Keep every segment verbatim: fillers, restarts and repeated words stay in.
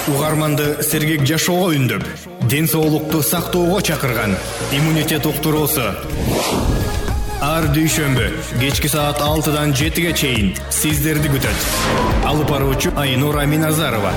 Угарманды сергек жашоого үндөп, ден соолукту сактоого чакырган иммунитет уктуруусу. Ар дүйшөмбү кечки саат алтыдан жетиге чейин сиздерди күтөт. Алып баруучу Айнура Миназарова.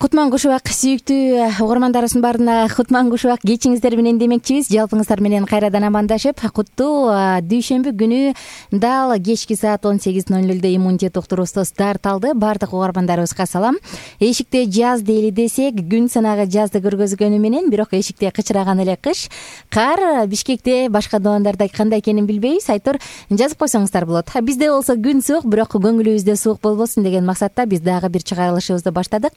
Кутман Кушубак, сүйүктүү угармандарыбыздын баарына Кутман Кушубак кечиңиздер менен демекчибиз. Жалпыңыздар менен кайрадан амандашып, куттуу дүйшөмбү күнү дал кечки саат он сегиз ноль нолдо иммунитет уктуруусу старт алды. Баардык угармандарыбызга салам. Эшикте жаз дейли десек, күн санагы жазды көргөзгөнү менен, бирок эшикте кычыраган эле кыш. Кар Бишкекте, башка доондарда кандай экенин билбейбиз. Айтор жазып койсоңуздар болот. Бизде болсо күн суук, бирок көңүлүбүздө суук болбосун деген максатта биз дагы бир чыгарылышыбызды баштадык.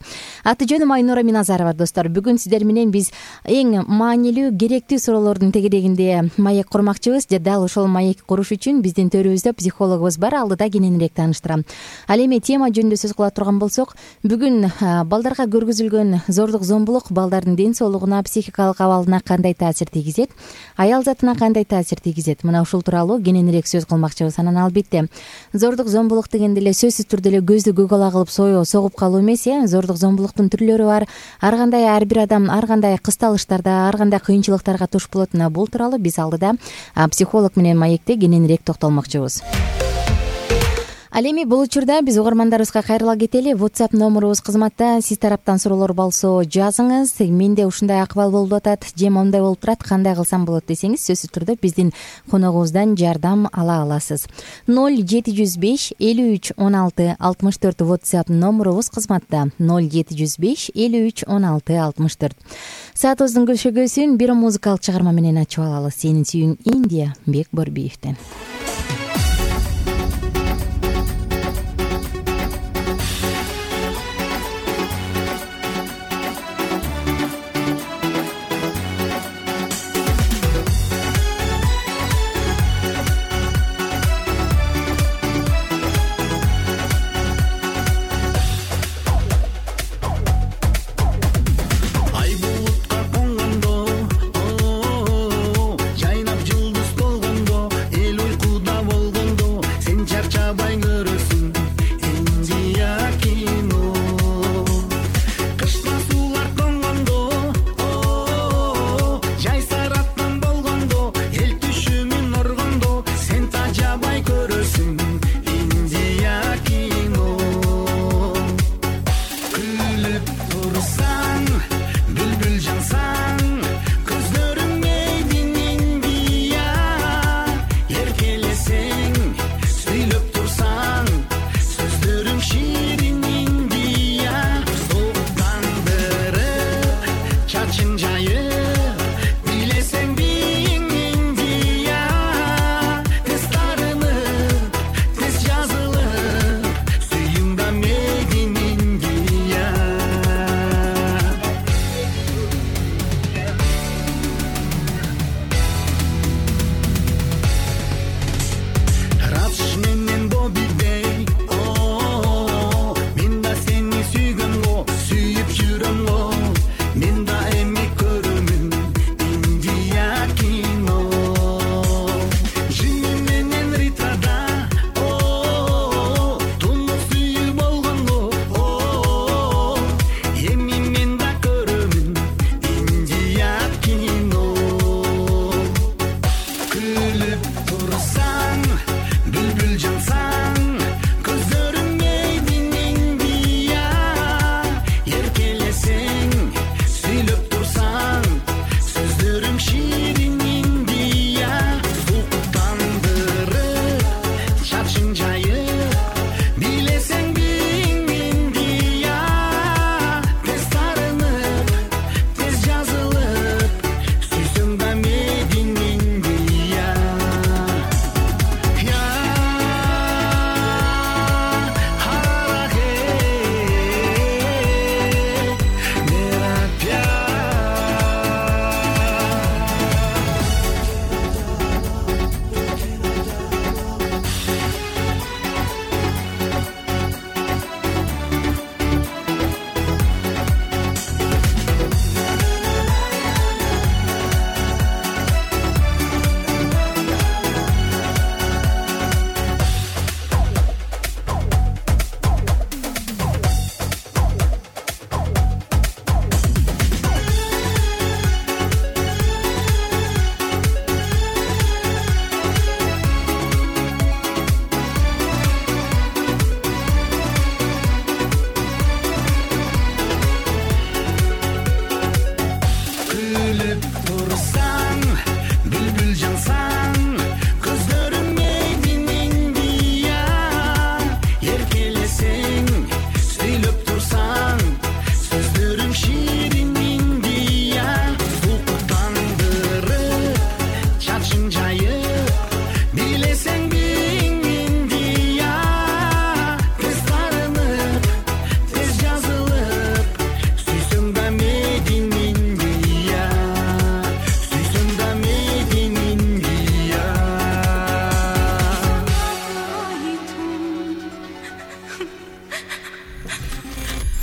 Аты жөнүм Айнура Миназарова, достор. Бүгүн сиздер менен биз эң маанилүү, керектүү суроолордун тегерегинде маек курмакчыбыз. Дал ошол маек куруш үчүн биздин төрүбүздө психологубуз бар. Алдыда кененирээк тааныштырам. Ал эми тема жөнүндө сөз кыла турган болсок, бүгүн балдарга көргөзүлгөн зордук зомбулук балдардын ден соолугуна, психикалык абалына кандай таасир тийгизет, аял затына кандай таасир тийгизет? Мына ушул тууралуу кененирээк сөз кылмакчыбыз. Анан албетте зордук зомбулук дегенде эле сөзсүз түрдө эле көздү көк ала кылып согуп калуу эмес, э? Зордук зомбулуктун түрлөрү бар. Ар кандай ар бир адам ар кандай кысталыштарда, ар кандай кыйынчылыктарга туш болот. Мына бул тууралуу биз алдыда психолог менен маекте кененирээк токтолмокчубуз. Ал эми бул учурда биз угармандарыбызга кайрыла кетели. WhatsApp номерубуз кызматта. Сиз тараптан суроолор болсо жазыңыз. Менде ушундай акыбал болуп атат, же моундай болуп турат, кандай кылсам болот десеңиз, сөзсүз түрдө биздин коногубуздан жардам ала аласыз. ноль жети жүз беш элүү үч он алты алтымыш төрт WhatsApp номерубуз кызматта. ноль жети жүз беш элүү үч он алты алтымыш төрт. Саатыбыздын көшөгөсүн бир музыкалык чыгарма менен ачып алалы. Сенин сүйүң Индия, Бек Борбиевден. Жайнап жылдыз болгондо эл уйкуда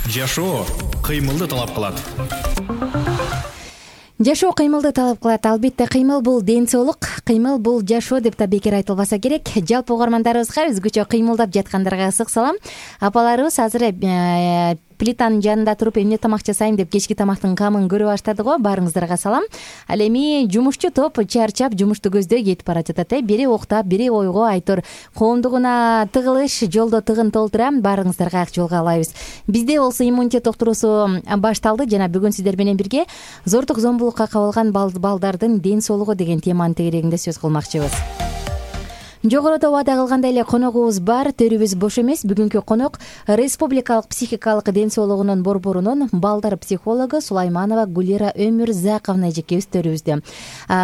жашоо кыймылды талап кылат. Жашоо кыймылды талап кылат. Албетте кыймыл бул ден соолук, кыймыл бул жашоо деп да бекер айтылбаса керек. Жалпы угармандарыбызга өзгөчө кыймылдап жаткандарга ысык салам. Апаларыбыз азыр плитанын жанында туруп эмне тамак жасайм деп кечки тамактын камын көрө баштады го. Баарыңыздарга салам. Ал эми жумушчу топ чарчап жумушту көздөй кетип бара жатат. Э бири уктап, бири ойго айтор коомдугуна тыгылыш, жолдо тыгын толтура. Баарыңыздарга ак жол каалайбыз. Бизде болсо иммунитет доктурусу башталды жана бүгүн сиздер менен бирге зордук зомбулукка кабылган балдардын ден соолугу деген теманын тегерегинде сөз кылмакчыбыз. Жогоруда убада кылгандай эле коногубуз бар, төрүбүз бош эмес. Бүгүнкү конок Республикалык психикалык ден соолугунун борборунун балдар психологу Сулайманова Гулира Өмүрзаковна эжекебиз төрүбүздө.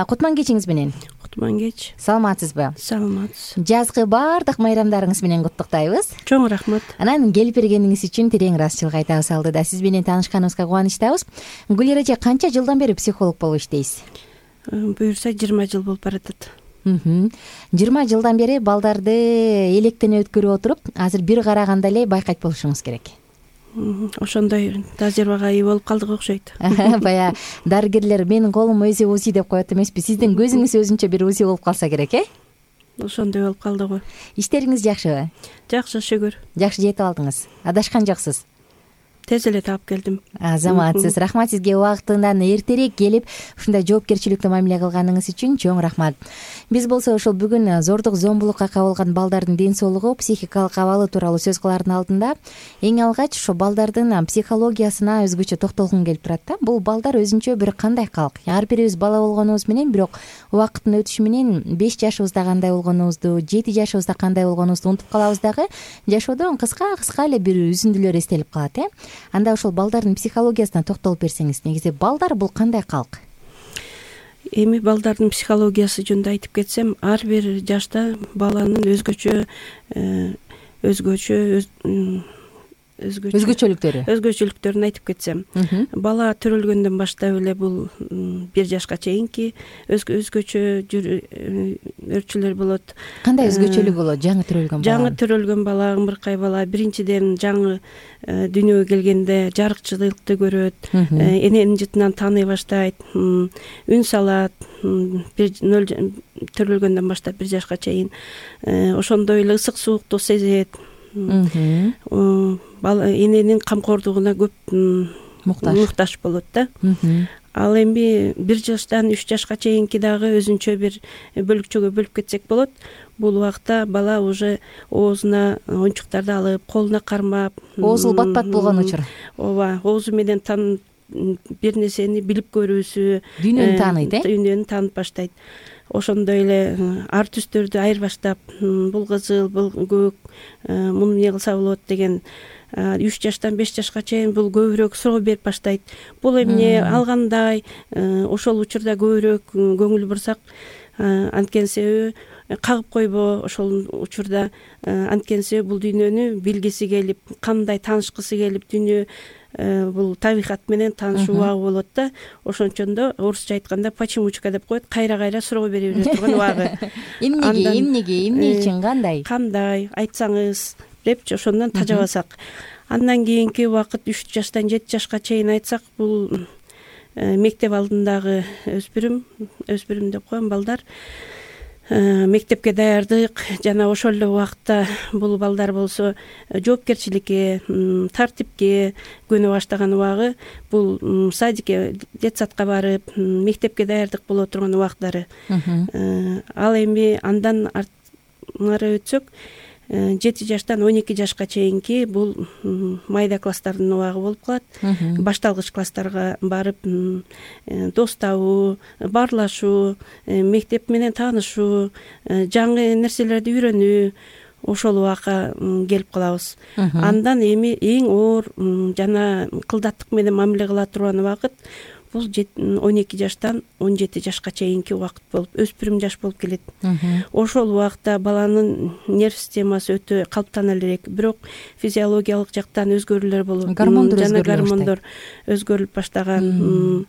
Кутман кечиңиз менен. Кутман кеч. Саламатсызбы? Саламатсыз. Жазгы баардык майрамдарыңыз менен куттуктайбыз. Чоң рахмат. Анан келип бергениңиз үчүн терең ыраазычылык айтабыз. Алдыда сиз менен таанышканыбызга кубанычтабыз. Гулира эже, канча жылдан бери психолог болуп иштейсиз? Буюрса жыйырма жыл болуп баратат. жыйырма жылдан бери балдарды электен өткөрүп отуруп, азыр бир караганда эле байкайт болушуңуз керек. Ошондой тажрыйбага ээ болуп калдык окшойт. Бая дарыгерлер менин колум өзү узи деп коет эмеспи? Сиздин көзүңүз өзүнчө бир узи болуп калса керек, э? Ошондой болуп калды го. Иштериңиз жакшыбы? Жакшы, шүгүр. Жакшы жетип алдыңыз. Адашкан жоксуз. Тез эле таап келдим. Азаматсыз. Рахмат сизге убактынан эртерээк келип, ушундай жоопкерчиликтүү мамиле кылганыңыз үчүн чоң рахмат. Биз болсо ошол бүгүн зордук зомбулукка кабылган балдардын ден соолугу, психикалык абалы тууралуу сөз кылаардын алдында эң алгач ошо балдардын психологиясына өзгөчө токтолгум келип турат да. Бул балдар өзүнчө бир кандай калк. Ар бирибиз бала болгонубуз менен, бирок убакыттын өтүшү менен беш жашыбызда кандай болгонубузду, жети жашыбызда кандай болгонубузду унутуп калабыз дагы. Жашоодон кыска-кыска эле бир үзүндүлөр эстелип калат, э? Анда ошол балдардын психологиясына токтолуп берсеңиз, негизи балдар бул кандай калк? Эми балдардын психологиясы жөнүндө айтып кетсем, ар бир жашта баланын өзгөчө өзгөчө өзгөчө өзгөчөлүктөрү өзгөчөлүктөрүн айтып кетсем, бала төрөлгөндөн баштап эле бул бир жашка чейинки өзгөчө өрчүлөр болот. Кандай өзгөчөлүгү болот жаңы төрөлгөн бала? Жаңы төрөлгөн бала, ымыркай бала биринчиден жаңы дүйнөгө келгенде жарыкчылыкты көрөт, эненин жытынан тааный баштайт, үн салат. нөл төрөлгөндөн баштап бир жашка чейин ошондой эле ысык суукту сезет. Эненин камкордугуна көп муктаж болот да. Ал эми бир жаштан үч жашка чейинки дагы өзүнчө бир бөлүкчөгө бөлүп кетсек болот. Бул убакта бала уже оозуна оюнчуктарды алып, колуна кармап, оозу бат-бат болгон учур. Ооба, оозу менен тан бир нерсени билип көрүүсү, дүйнөнү тааныйт, э? Дүйнөнү таанып баштайт. Ошондой эле ар түстөрдү айырбаштап, бул кызыл, бул көк, муну эмне кылса болот деген үч жаштан беш жашка чейин бул көбүрөөк суроо берип баштайт. Бул эмне, алгандай, ошол учурда көбүрөөк көңүл бурсак, анткени себеби кагып койбо, ошол учурда анткени себеби бул дүйнөнү билгиси келип, кандай таанышкысы келип, дүйнө бул табигат менен таанышуу убагы болот да. Ошончондо орусча айтканда почемучка деп коет, кайра-кайра суроо бере бере турган убагы. Эмнеге, эмнеге, эмне үчүн, кандай? Кандай, айтсаңыз депчи ошондон тажабасак. Андан кийинки убакыт үч жаштан жети жашка чейин айтсак, бул мектеп алдындагы өспүрүм, өспүрүм деп коем балдар. Мектепке даярдык жана ошол эле убакытта бул балдар болсо жоопкерчиликке, тартипке көнө баштаган убагы, бул садикке, детсадка барып, мектепке даярдык боло турган убактары. Ал эми андан ары өтсөк, жети жаштан он эки жашка чейинки бул майда класстардын убагы болуп калат. Башталгыч класстарга барып, дос табуу, баарлашуу, мектеп менен таанышуу, жаңы нерселерди үйрөнүү, ошол убакка келип калабыз. Андан эми эң оор жана кылдаттык менен мамиле кыла турган убакыт бул он эки жаштан он жети жашка чейинки убакыт болуп, өспүрүм жаш болуп келет. Ошол убакта баланын нерв системасы өтө калыптана элек, бирок физиологиялык жактан өзгөрүүлөр болуп, жана гормондор өзгөрүлүп баштаган.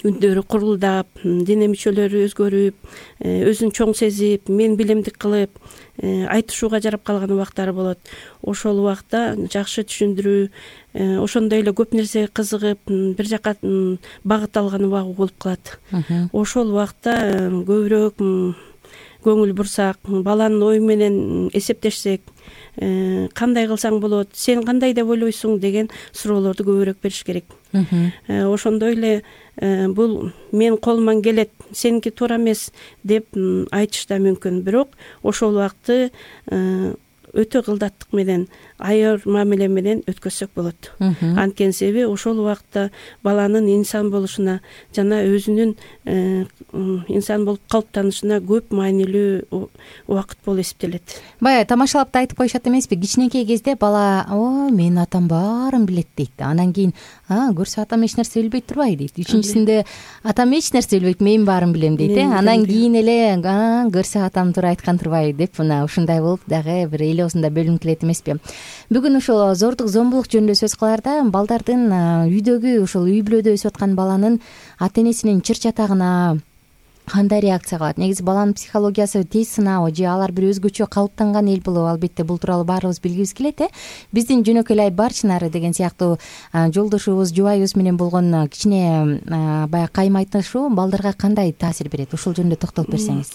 үндөрү курулдап, дене мүчөлөрү өзгөрүп, өзүн чоң сезип, мен билемдик кылып айтышууга жарап калган убактары болот. Ошол убакта жакшы түшүндүрүү, ошондой эле көп нерсеге кызыгып, бир жака багыт алган убагы болуп калат. Ошол убакта көбүрөөк көңүл бурсак, баланын ою менен эсептешсек, кандай кылсаң болот, сен кандай деп ойлойсуң деген суроолорду көбүрөөк бериш керек. Ошондой эле бул менин колуман келет, сеники туура эмес деп айтыш да мүмкүн. Бирок ошол убакты өтө кылдаттык менен, айыр мамиле менен өткөзсөк болот. Анткени себеби ошол убакта баланын инсан болушуна жана өзүнүн инсан болуп калыптанышына көп маанилүү убакыт болуп эсептелет. Баягы тамашалап да айтып коюшат эмеспи? Кичинекей кезде бала: "О, менин атам баарын билет" дейт. Анан кийин: "А, көрсө атам эч нерсе билбей турбайбы" дейт. Үчүнчүсүндө: "Атам эч нерсе билбейт, мен баарын билем" дейт. Э анан кийин эле: "А, көрсө атам туура айткан турбайбы" деп мына ушундай болуп дагы бир эл оозунда бөлүнүп келет эмеспи? Бүгүн ушул зордук зомбулук жөнүндө сөз кылаарда, балдардын үйдөгү, ушул үй бүлөдө өсүп аткан баланын ата энесинин чыр чатагына кандай реакция кылат? Негизи баланын психологиясы тез сынабы же алар бир өзгөчө калыптанган эл болобу? Албетте бул тууралуу баарыбыз билгибиз келет. Э биздин жөнөкөй эле Барчинары деген сыяктуу жолдошубуз, жубайыбыз менен болгон кичине баягы кайым айтышуу балдарга кандай таасир берет? Ушул жөнүндө токтолуп берсеңиз.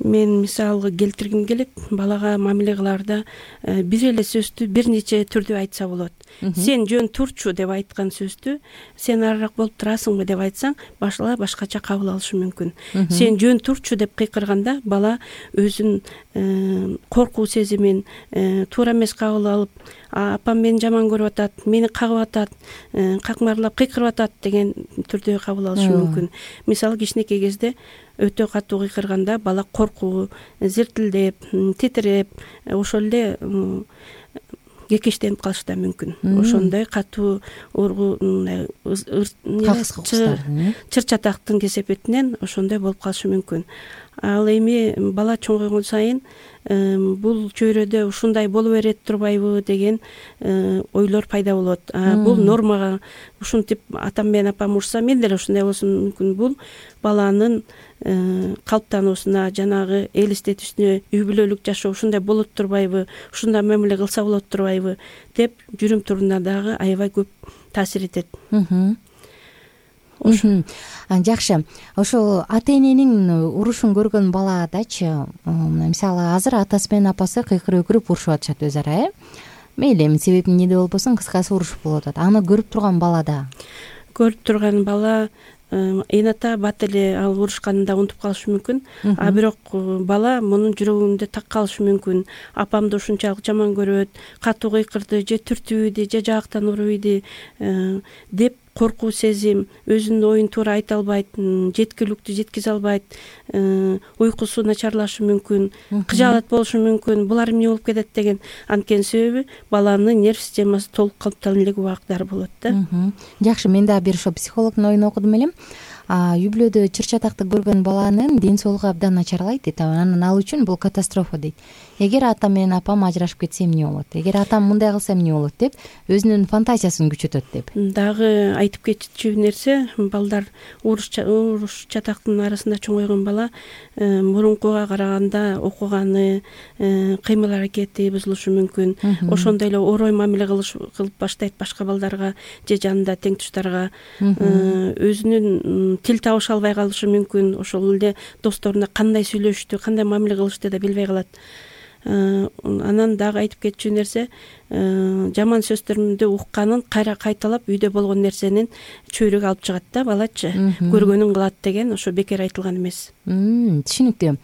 Мен мисалга келтиргим келет. Балага мамиле кылаарда бир эле сөздү бир нече түрдө айтса болот. Сен жөн турчу деп айткан сөздү сен арыраак болуп турасыңбы деп айтсаң, бала башкача кабыл алышы мүмкүн. Сен жөн турчу деп кыйкырганда бала өзүн коркуу сезимин туура эмес кабыл алып, апам мени жаман көрүп атат, мени кагып атат, какмарлап кыйкырып атат деген түрдө кабыл алышы мүмкүн. Мисалы кичинекей кезде өтө катуу кыйкырганда бала коркуу, зиртилдеп, титиреп, ошол эле кекештенип калышы да мүмкүн. Ошондой катуу ургу чыр чатактын кесепетинен ошондой болуп калышы мүмкүн. Ал эми бала чоңойгон сайын бул чөйрөдө ушундай боло берет турбайбы деген ойлор пайда болот. Бул нормага ушинтип атам менен апам урса мен деле ушундай болсом мүмкүн. Бул баланын калыптануусуна, жанагы элестетүүсүнө, үй бүлөлүк жашоо ушундай болот турбайбы, ушундай мамиле кылса болот турбайбы деп жүрүм туруна дагы аябай көп таасир этет. Жакшы. Ошол ата эненин урушун көргөн баладачы, мисалы азыр атасы менен апасы кыйкырып өкүрүп урушуп атышат өз ара, э? Мейли, эми себеби эмнеде болбосун, кыскасы урушуп болуп атат. Аны көрүп турган балада, көрүп турган бала эната бат эле ал урушканын да унутуп калышы мүмкүн. А бирок бала мунун жүрөгүндө так калышы мүмкүн. Апамды ушунчалык жаман көрөт, катуу кыйкырды, же түртүп ийди, же жаактан уруп ийди деп коркуу сезим, өзүнүн оюн туура айта албайт, жеткиликтүү жеткизе албайт, уйкусу начарлашы мүмкүн, кыжаалат болушу мүмкүн. Булар эмне болуп кетет деген. Анткени себеби баланын нерв системасы толук калыптана элек убактар болот да. Жакшы, мен дагы бир ошо психологдун оюн окудум элем. Үй бүлөдө чыр чатакты көргөн баланын ден соолугу абдан начарлайт дейт. Анан ал үчүн бул катастрофа дейт. Эгер атам менен апам ажырашып кетсе эмне болот? Эгер атам мындай кылса эмне болот деп өзүнүн фантазиясын күчөтөт деп. Дагы айтып кетчү нерсе, балдар уруш чатактын арасында чоңойгон бала мурункуга караганда окуганы, кыймыл аракети бузулушу мүмкүн. Ошондой эле орой мамиле кылып баштайт башка балдарга же жанында тең туштарга. Өзүнүн тил табыша албай калышы мүмкүн. Ошол эле досторуна кандай сүйлөштү, кандай мамиле кылышты да билбей калат. Анан дагы айтып кетчү нерсе, жаман сөздөрүмдү укканын кайра кайталап үйдө болгон нерсенин чөйрөгө алып чыгат да балачы. Көргөнүн кылат деген ошо бекер айтылган эмес. Түшүнүктүү.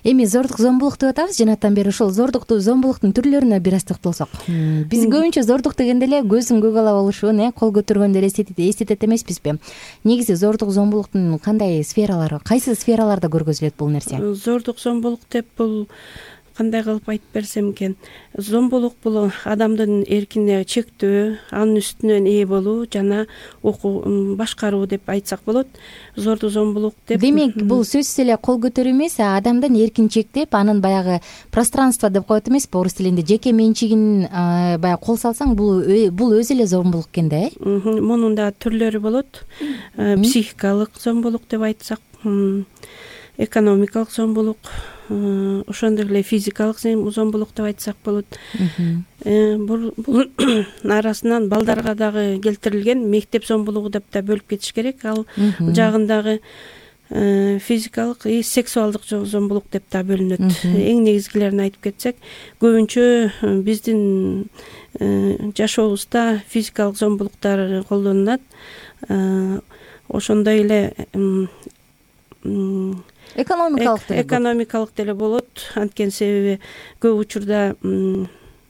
Эми зордук зомбулук деп атабыз жанаттан бери. Ошол зордукту зомбулуктун түрлөрүнө бир аз токтолсок. Биз көбүнчө зордук дегенде эле көзүн көк ала болушун, э, кол көтөргөндө эстетет эмеспизби? Негизи зордук зомбулуктун кандай сфералары, кайсы сфераларда көргөзүлөт бул нерсе? Зордук зомбулук деп бул кандай кылып айтып берсем экен, зомбулук бул адамдын эркине чектөө, анын үстүнөн ээ болуу жана окуу башкаруу деп айтсак болот. Зордуу зомбулук деп. Демек, бул сөзсүз эле кол көтөрүү эмес, адамдын эркин чектеп, анын баягы пространство деп коет эмеспи орус тилинде, жеке менчигин баягы кол салсаң, бул бул өзү эле зомбулук экен да, э? Мунун да түрлөрү болот. Психикалык зомбулук деп айтсак, экономикалык зомбулук, ошондой эле физикалык зомбулук деп айтсак болот. Бул арасынан балдарга дагы келтирилген мектеп зомбулугу деп да бөлүп кетиш керек. Ал жагындагы физикалык и сексуалдык зомбулук деп да бөлүнөт. Эң негизгилерин айтып кетсек, көбүнчө биздин жашообузда физикалык зомбулуктар колдонулат. Ошондой эле экономикалык экономикалык деле болот. Анткени себеби көп учурда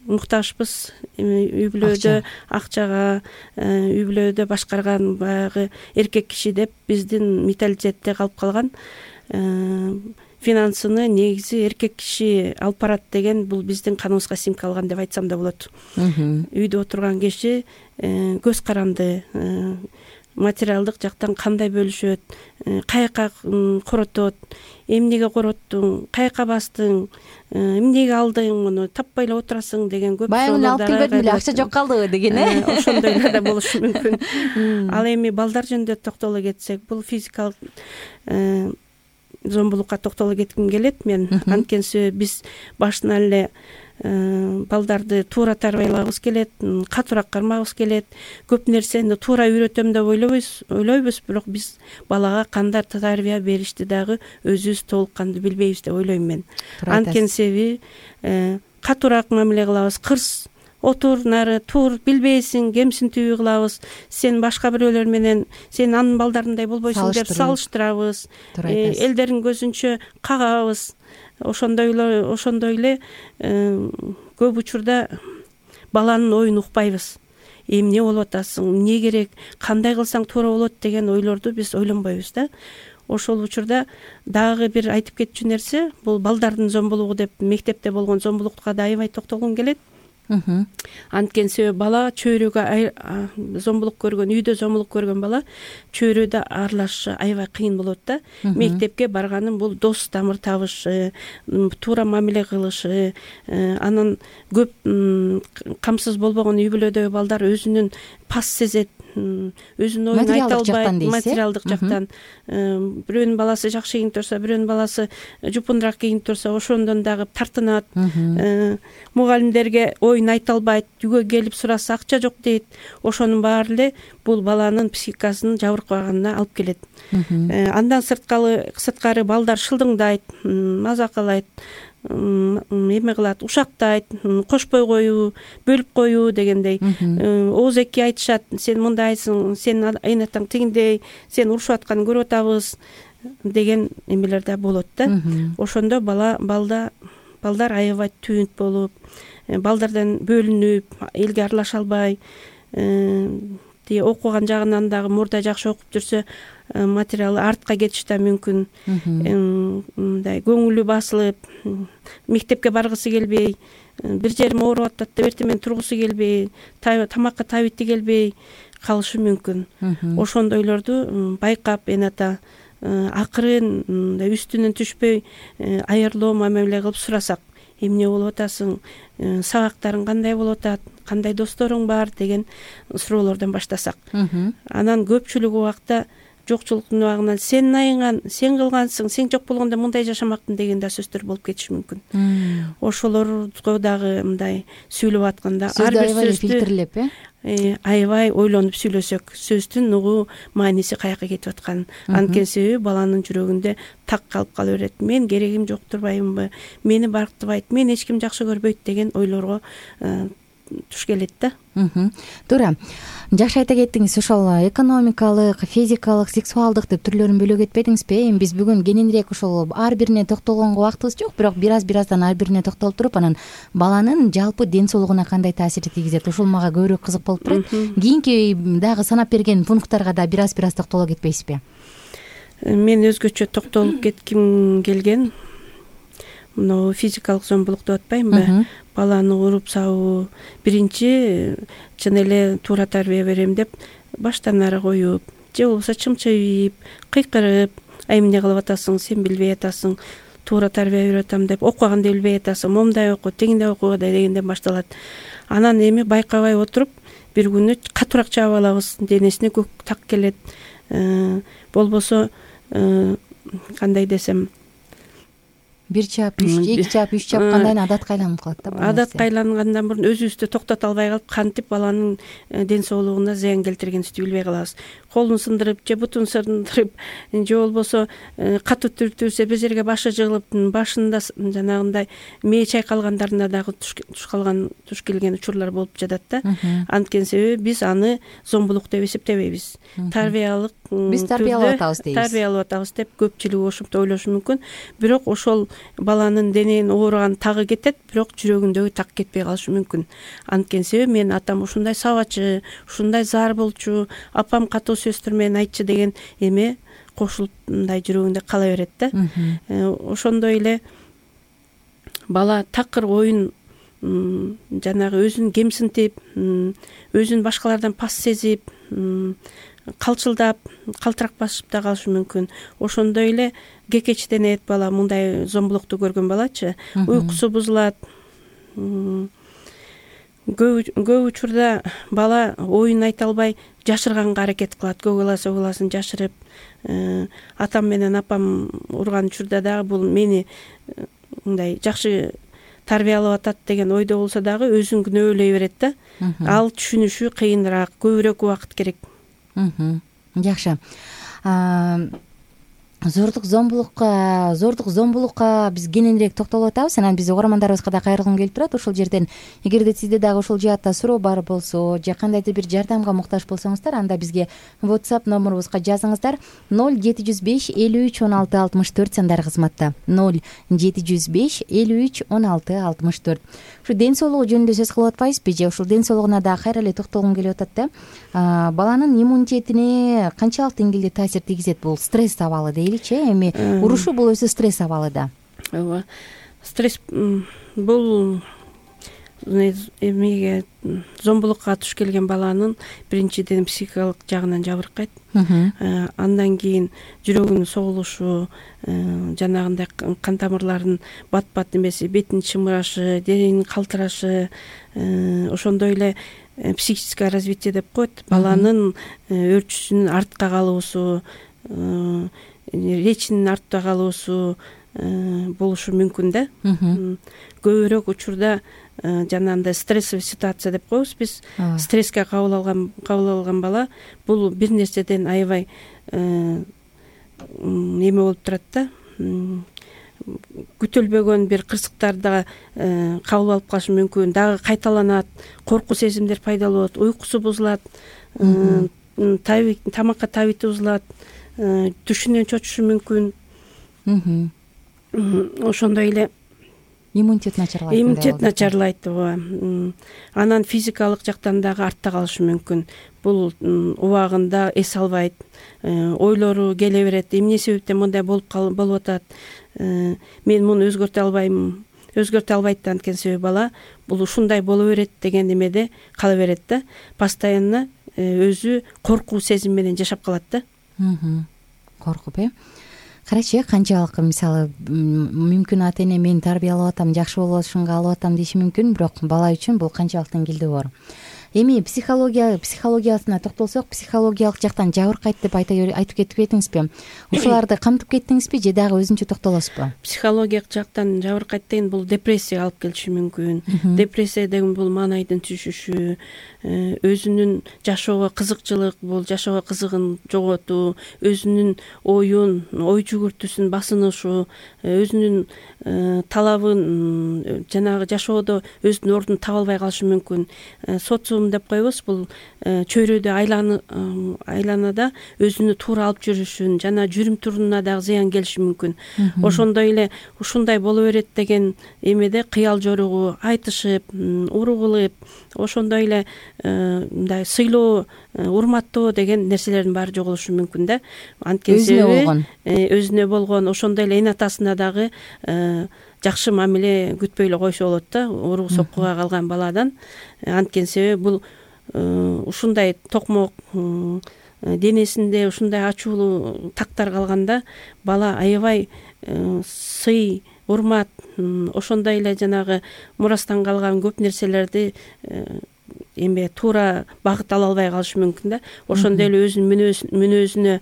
муктажбыз үй бүлөдө акчага, үй бүлөдө башкарган баягы эркек киши деп биздин менталитетте калып калган. Финансыны негизи эркек киши алып барат деген бул биздин каныбызга сиңип деп айтсам да болот. Үйдө отурган киши көз каранды, материалдык жактан кандай бөлүшөт, каяка коротот, эмнеге короттуң, каяка бастың, эмнеге алдың, муну таппай эле отурасың деген көп суроолор. Баягы алып келбедим эле, акча жок калдыбы деген, э? Ошондойлор да болушу мүмкүн. Ал эми балдар жөнүндө токтоло кетсек, бул физикалык зомбулукка токтоло кетким келет мен. Анткени себеби биз башынан эле балдарды туура тарбиялагыбыз келет, катуураак кармагыбыз келет. Көп нерсени туура үйрөтөм деп ойлойбуз, ойлойбуз, бирок биз балага кандай тарбия беришти дагы өзүбүз толук кандуу билбейбиз деп ойлойм мен. Анткени себеби катуураак мамиле кылабыз, кырс отур, нары тур, билбейсиң, кемсинтүү кылабыз. Сен башка бирөөлөр менен сен анын балдарындай болбойсуң деп салыштырабыз. Элдердин көзүнчө кагабыз. Ошондой эле ошондой эле көп учурда баланын оюн укпайбыз. Эмне болуп атасың, эмне керек, кандай кылсаң туура болот деген ойлорду биз ойлонбойбуз да. Ошол учурда дагы бир айтып кетчү нерсе, бул балдардын зомбулугу деп мектепте болгон зомбулукка да аябай токтолгум келет. Анткени себеби бала чөйрөгө зомбулук көргөн, үйдө зомбулук көргөн бала чөйрөдө аралашышы аябай кыйын болот да. Мектепке барганын бул дос тамыр табышы, туура мамиле кылышы, анан көп камсыз болбогон үй бүлөдөгү балдар өзүнүн пас сезет, өзүнүн оюн айта албайт, материалдык жактан. Бирөөнүн баласы жакшы кийинип турса, бирөөнүн баласы жупунураак кийинип турса, ошондон дагы тартынат. Мугалимдерге оюн айта албайт, үйгө келип сураса акча жок дейт. Ошонун баары эле бул баланын психикасынын жабыркаганына алып келет. Андан сырткары сырткары балдар шылдыңдайт, мазакалайт, эме кылат, ушактайт, кошпой коюу, бөлүп коюу дегендей. Ооз эки айтышат, сен мындайсың, сен айнатаң тигиндей, сен урушуп атканын көрүп атабыз деген эмелер да болот да. Ошондо бала балда балдар аябай түнт болуп, балдардан бөлүнүп, элге аралаша албай, окуган жагынан дагы мурда жакшы окуп жүрсө, материалы артка кетиши да мүмкүн. Мындай көңүлү басылып, мектепке баргысы келбей, бир жерим ооруп атат деп эртең менен тургусу келбей, тамакка табити келбей калышы мүмкүн. Ошондойлорду байкап эната акырын үстүнөн түшпөй аярлоо мамиле кылып сурасак, эмне болуп атасың, сабактарың кандай болуп атат, кандай досторуң бар деген суроолордон баштасак. Анан көпчүлүк убакта жокчулуктун убагынан сен айыган, сен кылгансың, сен жок болгондо мындай жашамактын деген да сөздөр болуп кетиши мүмкүн. Ошолорго дагы мындай сүйлөп атканда ар бир сөздү фильтрлеп, э, аябай ойлонуп сүйлөсөк, сөздүн угуу мааниси каяка кетип атканын. Анткени себеби баланын жүрөгүндө так калып кала берет. Мен керегим жок турбаймынбы, мени барктыбайт, мени эч ким жакшы көрбөйт деген ойлорго туш келет да. Туура. Жакшы айта кеттиңиз. Ошол экономикалык, физикалык, сексуалдык деп түрлөрүн бөлө кетпедиңизби? Эми биз бүгүн кененирээк ошол ар бирине токтолгонго убактыбыз жок, бирок бир аз бир аздан ар бирине токтолуп туруп, анан баланын жалпы ден соолугуна кандай таасири тийгизет, ошол мага көбүрөөк кызык болуп турат. Кийинки дагы санап берген пункттарга да бир аз бир аз токтоло кетпейсизби? Мен өзгөчө токтолуп кетким келген мына физикалык зомбулук деп атпаймынбы, баланы уруп сабуу, биринчи чын эле туура тарбия берем деп баштан ары коюп, же болбосо чымчыйып, кыйкырып, ай эмне кылып атасың, сен билбей атасың, туура тарбия берип атам деп, окуганды билбей атасың, момундай оку, тегиндей оку дегенден башталат. Анан эми байкабай отуруп бир күнү катуураак чаап алабыз, денесине көк так келет, болбосо кандай десем, бир чаап, үч, эки чаап, үч чапкандан кийин адатка айланып калат да. Адатка айлангандан мурун өзүбүздү токтото албай калып, кантип баланын ден соолугуна зыян келтиргенибизди билбей калабыз. Колун сындырып же бутун сындырып же болбосо катуу түртүлсө бир жерге башы жыгылып, башында жанагындай мээ чайкалгандарына дагы туш калган, туш келген учурлар болуп жатат да. Анткени себеби биз аны зомбулук деп эсептебейбиз. Тарбиялык биз тарбиялап атабыз дейбиз. Тарбиялап атабыз деп көпчүлүк ошентип ойлошу мүмкүн. Бирок ошол баланын дененин ооруган тагы кетет, бирок жүрөгүндөгү так кетпей калышы мүмкүн. Анткени себеби менин атам ушундай сабачы, ушундай зар болчу, апам катуу сөздөр менен айтчы деген эме кошулуп мындай жүрөгүндө кала берет да. Ошондой эле бала такыр оюн жанагы өзүн кемсинтип, өзүн башкалардан пас сезип, калчылдап, калтырак басып да калышы мүмкүн. Ошондой эле кекечтенет бала, мындай зомбулукту көргөн балачы, уйкусу бузулат. Көп учурда бала оюн айта албай жашырганга аракет кылат. Көк аласы угуласын жашырып, атам менен апам урган учурда дагы бул мени мындай жакшы тарбиялап атат деген ойдо болсо дагы өзүн күнөөлөй берет да. Ал түшүнүшү кыйыныраак, көбүрөөк убакыт керек. Жакшы. Зордук зомбулукка, зордук зомбулукка биз кененирээк токтолуп атабыз. Анан биз угармандарыбызга да кайрылгым келип турат. Ошол жерден эгерде сизде дагы ошол жаатта суроо бар болсо, же кандайдыр бир жардамга муктаж болсоңуздар, анда бизге WhatsApp номерубузга жазыңыздар. ноль жети жүз беш элүү үч он алты алтымыш төрт сандар кызматта. ноль жети жүз беш элүү үч он алты алтымыш төрт. Ушу ден соолугу жөнүндө сөз кылып атпайбызбы же? Ушул ден соолугуна дагы кайра эле токтолгум келип атат да. Баланын иммунитетине канчалык деңгээлде таасир тийгизет бул стресс абалы дейли-чи? Эми урушу бул өзү стресс абалы да. Ооба. Стресс бул эмеге зомбулукка туш келген баланын биринчиден психикалык жагынан жабыркайт. Андан кийин жүрөгүнүн согулушу, жанагындай кан тамырларынын бат-бат эмеси, бетинин чымырашы, дененин калтырашы, ошондой эле психическое развитие деп коет. Баланын өөрчүсүнүн артка калуусу, речинин артта калуусу болушу мүмкүн да. Көбүрөөк учурда жанагындай стрессовый ситуация деп коебуз биз. Стресске кабыл алган кабыл алган бала бул бир нерседен аябай эме болуп турат да. Күтүлбөгөн бир кырсыктарды кабыл алып калышы мүмкүн, дагы кайталанат, коркуу сезимдер пайда болот, уйкусу бузулат, тамакка табити бузулат, түшүнөн чочушу мүмкүн. Ошондой эле иммунитет начарлайт. Иммунитет начарлайт. Анан физикалык жактан дагы артта калышы мүмкүн. Бул убагында эс албайт, ойлору келе берет. Эмне себептен мындай болуп болуп атат? Мен муну өзгөртө албайм, өзгөртө албайт анткени себеби бала бул ушундай боло берет деген эмеде кала берет да. Постоянно өзү коркуу сезим менен жашап калат да. Коркуп, э? Карачы, канчалык мисалы мүмкүн ата эне мени тарбиялап атам, жакшы болушунга алып атам деши мүмкүн, бирок бала үчүн бул канчалык деңгээлде бар. Эми психология психологиясына токтолсок, психологиялык жактан жабыркайт деп айтып кетип кетиңизби? Ушуларды камтып кеттиңизби же дагы өзүнчө токтолосузбу? Психологиялык жактан жабыркайт деген бул депрессияга алып келиши мүмкүн. Депрессия деген бул маанайдын түшүшү, өзүнүн жашоого кызыкчылык, бул жашоого кызыгын жоготуу, өзүнүн оюн, ой жүгүртүүсүн басынышу, өзүнүн талабын, жанагы жашоодо өзүнүн ордун таба албай калышы мүмкүн. Социум деп коебуз, бул чөйрөдө айланада өзүнү туура алып жүрүшүн, жана жүрүм турумуна дагы зыян келиши мүмкүн. Ошондой эле ушундай боло берет деген эмеде кыял жоругу, айтышып, уруу кылып, ошондой эле мындай сыйлоо, урматтоо деген нерселердин баары жоголушу мүмкүн да. Анткени себеби өзүнө болгон, ошондой эле эне атасына дагы жакшы мамиле күтпөй эле койсо болот да уруу соккуга калган баладан. Анткени себеби бул ушундай токмок денесинде ушундай ачуулуу тактар калганда бала аябай сый, урмат, ошондой эле жанагы мурастан калган көп нерселерди эме туура багыт ала албай калышы мүмкүн да. Ошондой эле өзүнүн мүнөзүнө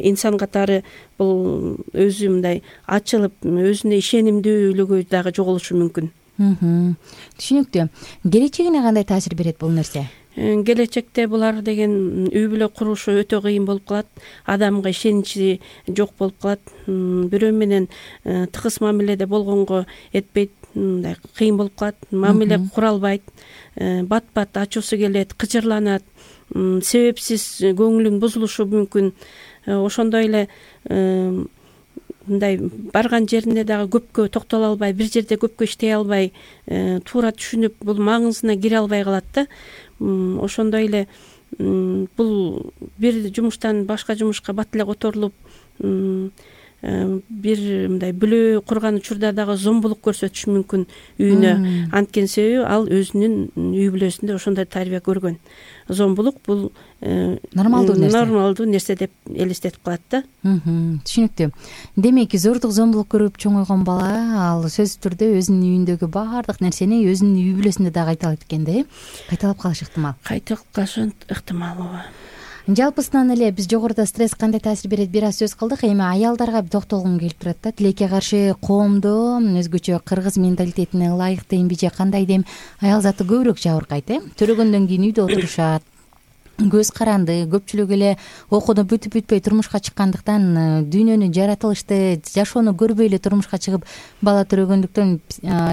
инсан катары бул өзү мындай ачылып, өзүнө ишенимдүүлүгү дагы жоголушу мүмкүн. Түшүнүктүү. Келечегине кандай таасир берет бул нерсе? Келечекте булар деген үй бүлө курушу өтө кыйын болуп калат. Адамга ишеничи жок болуп калат. Бирөө менен тыгыз мамиледе болгонго этпейт, мындай кыйын болуп калат. Мамиле кура албайт. Бат-бат ачуусу келет, кыжырланат, себепсиз көңүлүн бузулушу мүмкүн. Ошондой эле мындай барган жерине дагы көпкө токтоло албай, бир жерде көпкө иштей албай, туура түшүнүп, бул маңызына кире албай калат да. Ошондой эле бул бир жумуштан башка жумушка бат эле которулуп, бир мындай бүлө курган учурда дагы зомбулук көрсөтүшү мүмкүн үйүнө. Анткени себеби ал өзүнүн үй бүлөсүндө ошондой тарбия көргөн. Зомбулук бул нормалдуу нерсе. Нормалдуу нерсе деп элестетип калат да. Түшүнүктүү. Демек, зордук, зомбулук көрүп чоңойгон бала ал сөзсүз түрдө өзүнүн үйүндөгү баардык нерсени өзүнүн үй бүлөсүндө дагы кайталайт экен да, э? Кайталап калышы ыктымал. Кайталап калышы ыктымал, ооба. Жалпысынан эле биз жогоруда стресс кандай таасир берет бир аз сөз кылдык. Эми аялдарга токтолгум келип турат да. Тилекке каршы коомдо өзгөчө кыргыз менталитетине ылайыктуу эмби же кандай дем аял заты көбүрөөк жабыркайт, э? Төрөгөндөн кийин үйдө отурушат, көз каранды, көпчүлүк эле окууну бүтүп бүтпөй турмушка чыккандыктан дүйнөнү, жаратылышты, жашоону көрбөй эле турмушка чыгып бала төрөгөндүктөн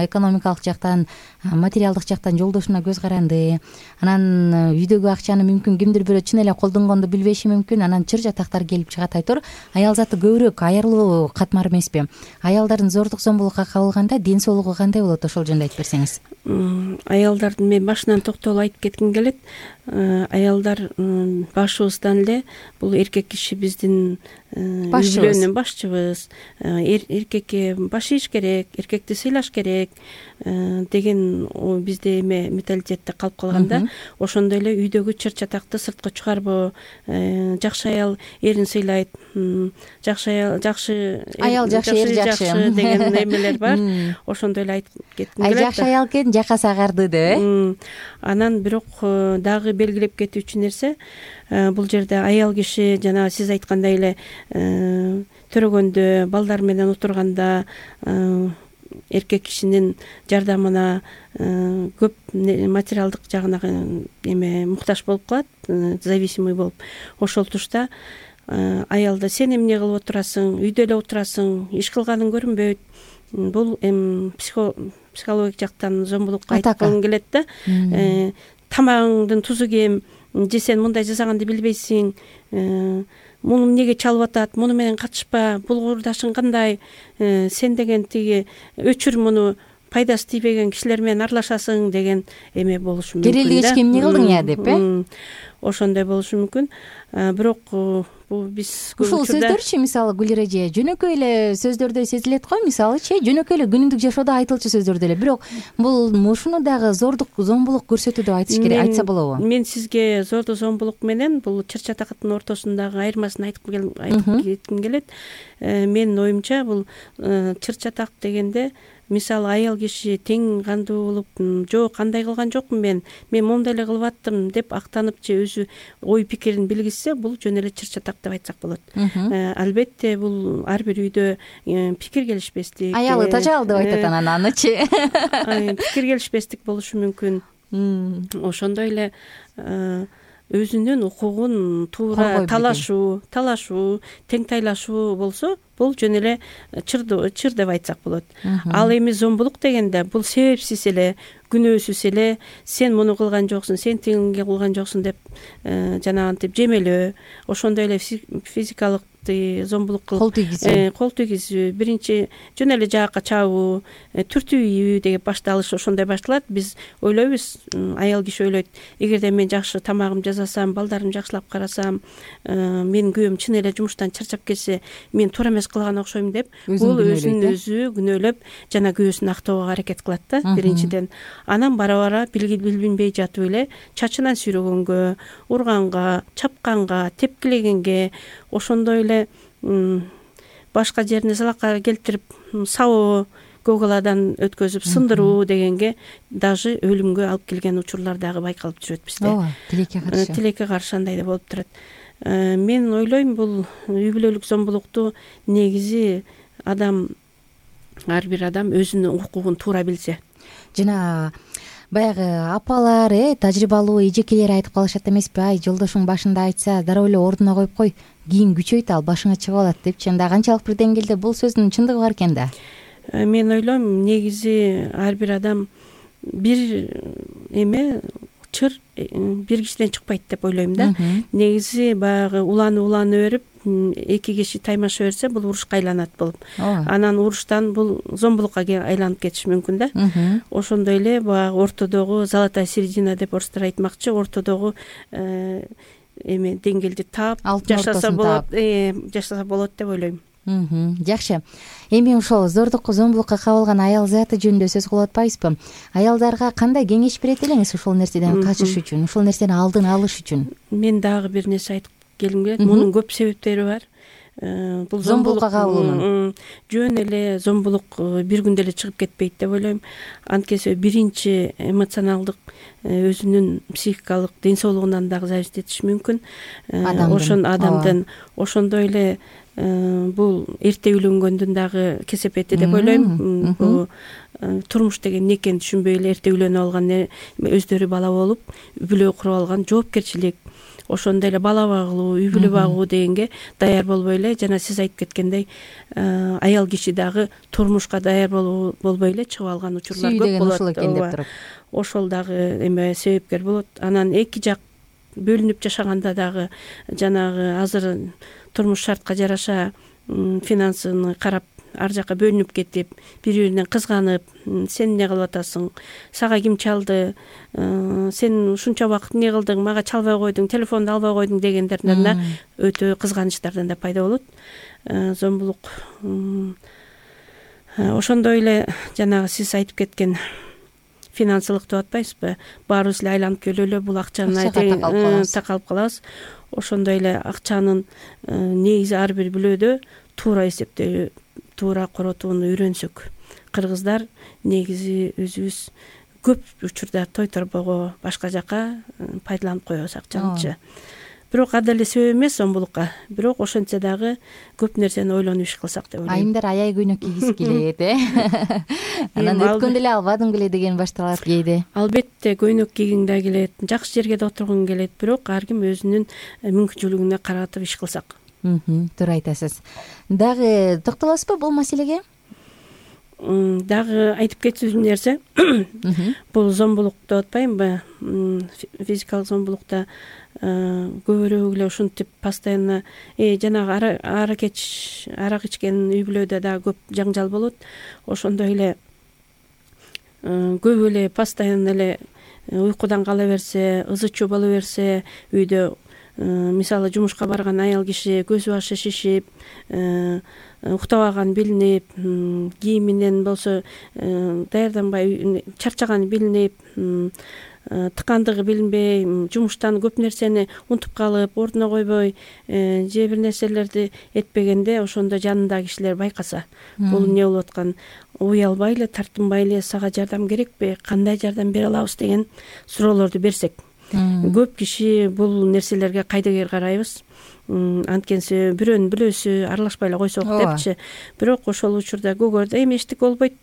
экономикалык жактан, материалдык жактан жолдошуна көз каранды. Анан үйдөгү акчаны мүмкүн кимдир бирөө чын эле колдонгонду билбеши мүмкүн. Анан чыр жатактар келип чыгат. Айтор аял заты көбүрөөк аярлуу катмар эмеспи? Аялдардын зордук, зомбулукка кабылганда ден соолугу кандай болот? Ошол жөнүндө айтып берсеңиз. Аялдардын мен башынан токтолуп айтып кетким келет. Аялдар башыбыздан эле бул эркек киши биздин үй бүлөнүн башчыбыз. Эркекке баш ийиш керек, эркекти сыйлаш керек деген бизде эме менталитетте калып калганда, ошондой эле үйдөгү чыр чатакты сыртка чыгарбоо, жакшы аял эрин сыйлайт, жакшы аял жакшы аял жакшы, эр жакшы деген эмелер бар. Ошондой эле айтып кетким келет. Жакшы аял экен, жакасы агарды деп, э? Анан бирок дагы белгилеп кетүүчү нерсе, бул жерде аял киши жана сиз айткандай эле төрөгөндө, балдар менен отурганда эркек кишинин жардамына көп материалдык жагына эме муктаж болуп калат, зависимый болуп. Ошол тушта аялда сен эмне кылып отурасың, үйдө эле отурасың, иш кылганың көрүнбөйт. Бул эми психологик жактан зомбулукка айткым келет да. Тамагыңдын тузу кем, же сен мындай жасаганды билбейсиң, муну эмнеге чалып атат, муну менен катышпа, бул курдашың кандай, сен деген тиги өчүр муну, пайдасы тийбеген кишилер менен аралашасың деген эме болушу мүмкүн да. Керелдигичке эмне кылдың я деп, э? Ошондой болушу мүмкүн. Бирок бул биз ушул сөздөрчү, мисалы Гүлир эже, жөнөкөй эле сөздөрдө сезилет го, мисалычы, жөнөкөй эле күнүмдүк жашоодо айтылчу сөздөрдө эле. Бирок бул ушуну дагы зордук, зомбулук көрсөтүү деп айтыш керек, айтса болобу? Мен сизге зордук, зомбулук менен бул чыр чатактын ортосундагы айырмасын айтып кетким келет. Менин оюмча бул чыр чатак дегенде, мисалы аял киши тең кандуу болуп, жок, кандай кылган жокмун мен, мен моундай эле кылып аттым деп актанып же өзү ой пикирин билгизсе, бул жөн эле чыр чатак деп айтсак болот. Албетте бул ар бир үйдө пикир келишпестик, аялы тажал деп айтат анан анычы. Пикир келишпестик болушу мүмкүн. Ошондой эле өзүнүн укугун туура талашуу, талашуу, теңтайлашуу болсо, бул жөн эле чыр чыр деп айтсак болот. Ал эми зомбулук дегенде бул себепсиз эле, күнөөсүз эле сен муну кылган жоксуң, сен тигинге кылган жоксуң деп жанагынтип жемелөө, ошондой эле физикалык тактый зомбулук кылып кол тийгизүү кол тийгизүү биринчи жөн эле жаакка чабуу, түртүү ийүү деп башталышы ошондой башталат. Биз ойлойбуз, аял киши ойлойт, эгерде мен жакшы тамагымды жасасам, балдарымды жакшылап карасам, менин күйөөм чын эле жумуштан чарчап келсе, мен туура эмес кылган окшойм деп бул өзүн өзү күнөөлөп жана күйөөсүн актоого аракет кылат да биринчиден. Анан бара бара билинбей жатып эле чачынан сүйрөгөнгө, урганга, чапканга, тепкилегенге, ошондой эле башка жерине залакка келтирип сабоо, көгаладан өткөзүп сындыруу дегенге даже өлүмгө алып келген учурлар дагы байкалып жүрөт бизде. ооба, тилекке каршы тилекке каршы андай да болуп турат. Мен ойлойм, бул үй бүлөлүк зомбулукту негизи адам, ар бир адам өзүнүн укугун туура билсе. Жана баягы апалар, э тажрыйбалуу эжекелер айтып калышат эмеспи, ай жолдошуң башында айтса дароо эле ордуна коюп кой, кийин күчөйт, ал башыңа чыгып алат депчи. Анда канчалык бир деңгээлде бул сөздүн чындыгы бар экен да? Мен ойлойм, негизи ар бир адам бир эме чыр бир кишиден чыкпайт деп ойлойм да. Негизи баягы уланып уланып берип эки киши таймаша берсе, бул урушка айланат болуп. Анан уруштан бул зомбулукка айланып кетиши мүмкүн да. Ошондой эле баягы ортодогу золотая середина деп орустар айтмакчы, ортодогу эме деңгээлди таап жашаса болот, жашаса болот деп ойлойм. Жакшы. Эми ошол зордукка, зомбулукка кабылган аял заты жөнүндө сөз кылып атпайбызбы? Аялдарга кандай кеңеш берет элеңиз ушул нерседен качыш үчүн, ушул нерсени алдын алыш үчүн? Мен дагы бир нерсе айтып келгим келет. Мунун көп себептери бар. Бул зомбулукка кабылуунун жөн эле зомбулук бир күндө эле чыгып кетпейт деп ойлойм. Анткени биринчи эмоционалдык, өзүнүн психикалык ден соолугунан дагы зависить этиши мүмкүн. Ошон адамдын ошондой эле бул эрте үйлөнгөндүн дагы кесепети деп ойлойм. Бул турмуш деген эмне экенин түшүнбөй эле эрте үйлөнүп алган, өздөрү бала болуп, үй бүлө куруп алган, жоопкерчилик, ошондой эле бала багуу, үй бүлө багуу дегенге даяр болбой эле, жана сиз айтып кеткендей, аял киши дагы турмушка даяр болбой эле чыгып алган учурлар көп болот. Ошол дагы эме себепкер болот. Анан эки жак бөлүнүп жашаганда дагы жанагы азыр турмуш шартка жараша финансыны карап ар жакка бөлүнүп кетип, бири-биринен кызганып, сен эмне кылып атасың, сага ким чалды, сен ушунча убакыт эмне кылдың, мага чалбай койдуң, телефонду албай койдуң дегендерден да өтө кызганычтардан да пайда болот. Зомбулук ошондой эле жанагы сиз айтып кеткен финансылык деп атпайсызбы? Баарыбыз эле айланып келип эле бул акчаны такалып калабыз. Ошондой эле акчанын негизи ар бир бүлөдө туура эсептөө, туура коротууну үйрөнсөк. Кыргыздар негизи өзүбүз көп учурда той торбого, башка жака пайдаланып коебуз акчанычы. Бирок ада эле себеп эмес зомбулукка. Бирок ошентсе дагы көп нерсени ойлонуп иш кылсак деп ойлойм. Айымдар аяй көйнөк кийгиси келет, э? Анан өткөндө эле албадым беле деген башталат кээде. Албетте көйнөк кийгиң да келет, жакшы жерге да отургуң келет, бирок ар ким өзүнүн мүмкүнчүлүгүнө каратып иш кылсак. Туура айтасыз. Дагы токтолосузбу бул маселеге? Дагы айтып кетүүчү нерсе, бул зомбулук деп атпаймынбы? Физикалык зомбулукта көбүрөөк эле ушинтип постоянно жанагы арак ич арак ичкен үй бүлөдө дагы көп жаңжал болот. Ошондой эле көп эле постоянно эле уйкудан кала берсе, ызы чуу боло берсе, үйдө мисалы жумушка барган аял киши көзү башы шишип, уктабаган билинип, кийиминен болсо даярданбай чарчаганы билинип, тыкандыгы билинбей, жумуштан көп нерсени унутуп калып, ордуна койбой, же бир нерселерди этпегенде, ошондо жанындагы кишилер байкаса, бул эмне болуп аткан, уялбай эле, тартынбай эле, сага жардам керекпи, кандай жардам бере алабыз деген суроолорду берсек. Көп киши бул нерселерге кайдыгер карайбыз. Анткени бирөөнүн бүлөсү аралашпай эле койсок депчи. Бирок ошол учурда көгөрдө эми эчтеке болбойт,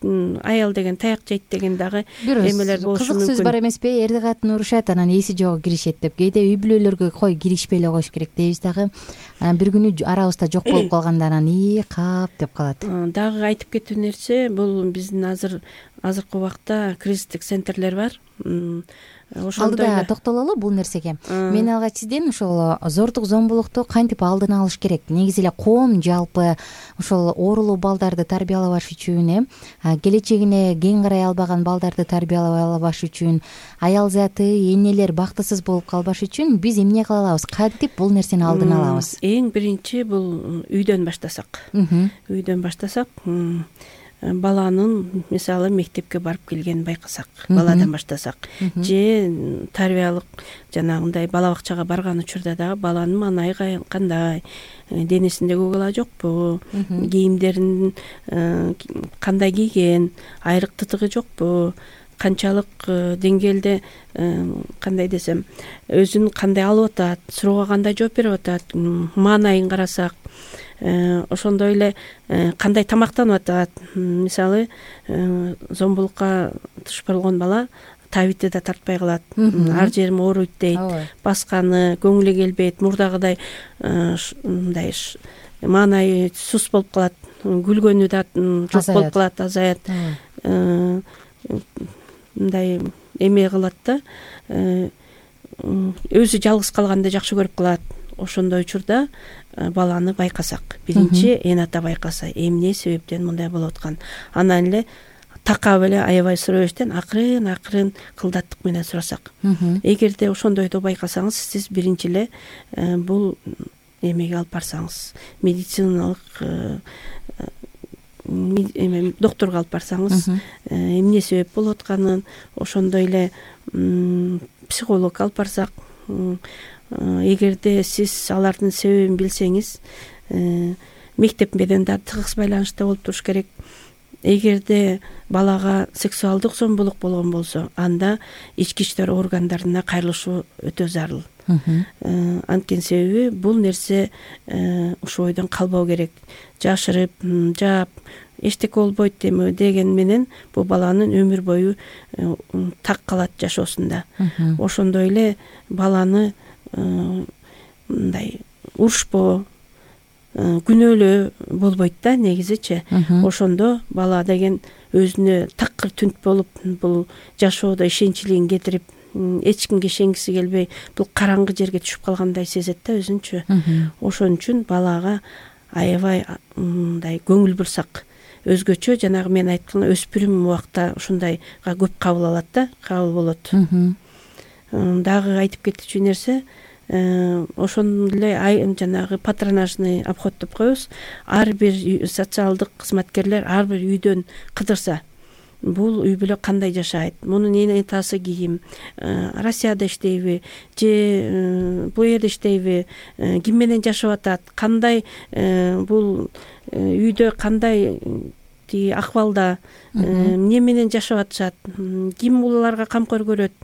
аял деген таяк жейт деген дагы эмелер болушу мүмкүн. Кызык сөз бар эмеспи? Эрди катын урушат, анан эси жогу киришет деп. Кээде үй бүлөлөргө кой киришпей эле коюш керек дейбиз дагы. Анан бир күнү арабызда жок болуп калганда анан ии кап деп калат. Дагы айтып кетүү нерсе, бул биздин азыр азыркы убакта кризистик центрлер бар. алдыда токтололу бул нерсеге. Мен алгач сизден ошол зордук зомбулукту кантип алдын алыш керек, негизи эле коом жалпы ошол оорулуу балдарды тарбиялабаш үчүн, э келечегине кең карай албаган балдарды тарбиялабаш үчүн, аял заты, энелер бактысыз болуп калбаш үчүн биз эмне кыла алабыз, кантип бул нерсени алдын алабыз? Эң биринчи бул үйдөн баштасак. Үйдөн баштасак, баланын мисалы мектепке барып келгенин байкасак, баладан баштасак, же тарбиялык жанагындай бала бакчага барган учурда дагы баланын маанайы кандай, денесинде көк ала жокпу, кийимдерин кандай кийген, айрык тытыгы жокпу, канчалык деңгээлде, кандай десем, өзүн кандай алып атат, суроога кандай жооп берип атат, маанайын карасак, ошондой эле кандай тамактанып атат. Мисалы, зомбулукка туш болгон бала табитти да тартпай калат, ар жерим ооруйт дейт, басканы көңүлү келбейт, мурдагыдай мындай маанайы сус болуп калат, күлгөнү да жок болуп калат, азаят, мындай эме кылат да, өзү жалгыз калганды жакшы көрүп калат. Ошондой учурда баланы байкасак, биринчи эн ата байкаса, эмне себептен мындай болуп аткан, анан эле такап эле аябай сурабештен акырын акырын кылдаттык менен сурасак. Эгерде ошондойду байкасаңыз, сиз биринчи эле бул эмеге алып барсаңыз, медициналык эме доктурга алып барсаңыз, эмне себеп болуп атканын, ошондой эле психологко алып барсак, эгерде сиз алардын себебин билсеңиз, мектеп менен да тыгыз байланышта болуп туруш керек. Эгерде балага сексуалдык зомбулук болгон болсо, анда ички иштер органдарына кайрылышуу өтө зарыл. Анткени себеби бул нерсе ушул ойдон калбоо керек. Жашырып, жаап, эчтеке болбойт деген менен бул баланын өмүр бою так калат жашоосунда. Ошондой эле баланы мындай урушпоо, күнөөлөө болбойт да негизичи. Ошондо бала деген өзүнө такыр түнт болуп, бул жашоодо ишенчлигин кетирип, эч кимге ишенгиси келбей, бул караңгы жерге түшүп калгандай сезет да өзүнчү. Ошон үчүн балага аябай мындай көңүл бурсак, өзгөчө жанагы мен айткан өспүрүм убакта ушундайга көп кабыл алат да, кабыл болот. Дагы айтып кетчү нерсе, ошондой эле жанагы патронажный обход деп коебуз. Ар бир социалдык кызматкерлер ар бир үйдөн кыдырса, бул үй бүлө кандай жашайт, мунун эн атасы ким, Россияда иштейби же бул жерде иштейби, ким менен жашап атат, кандай бул үйдө кандай акыбалда, эмне менен жашап атышат, ким буларга камкор көрөт,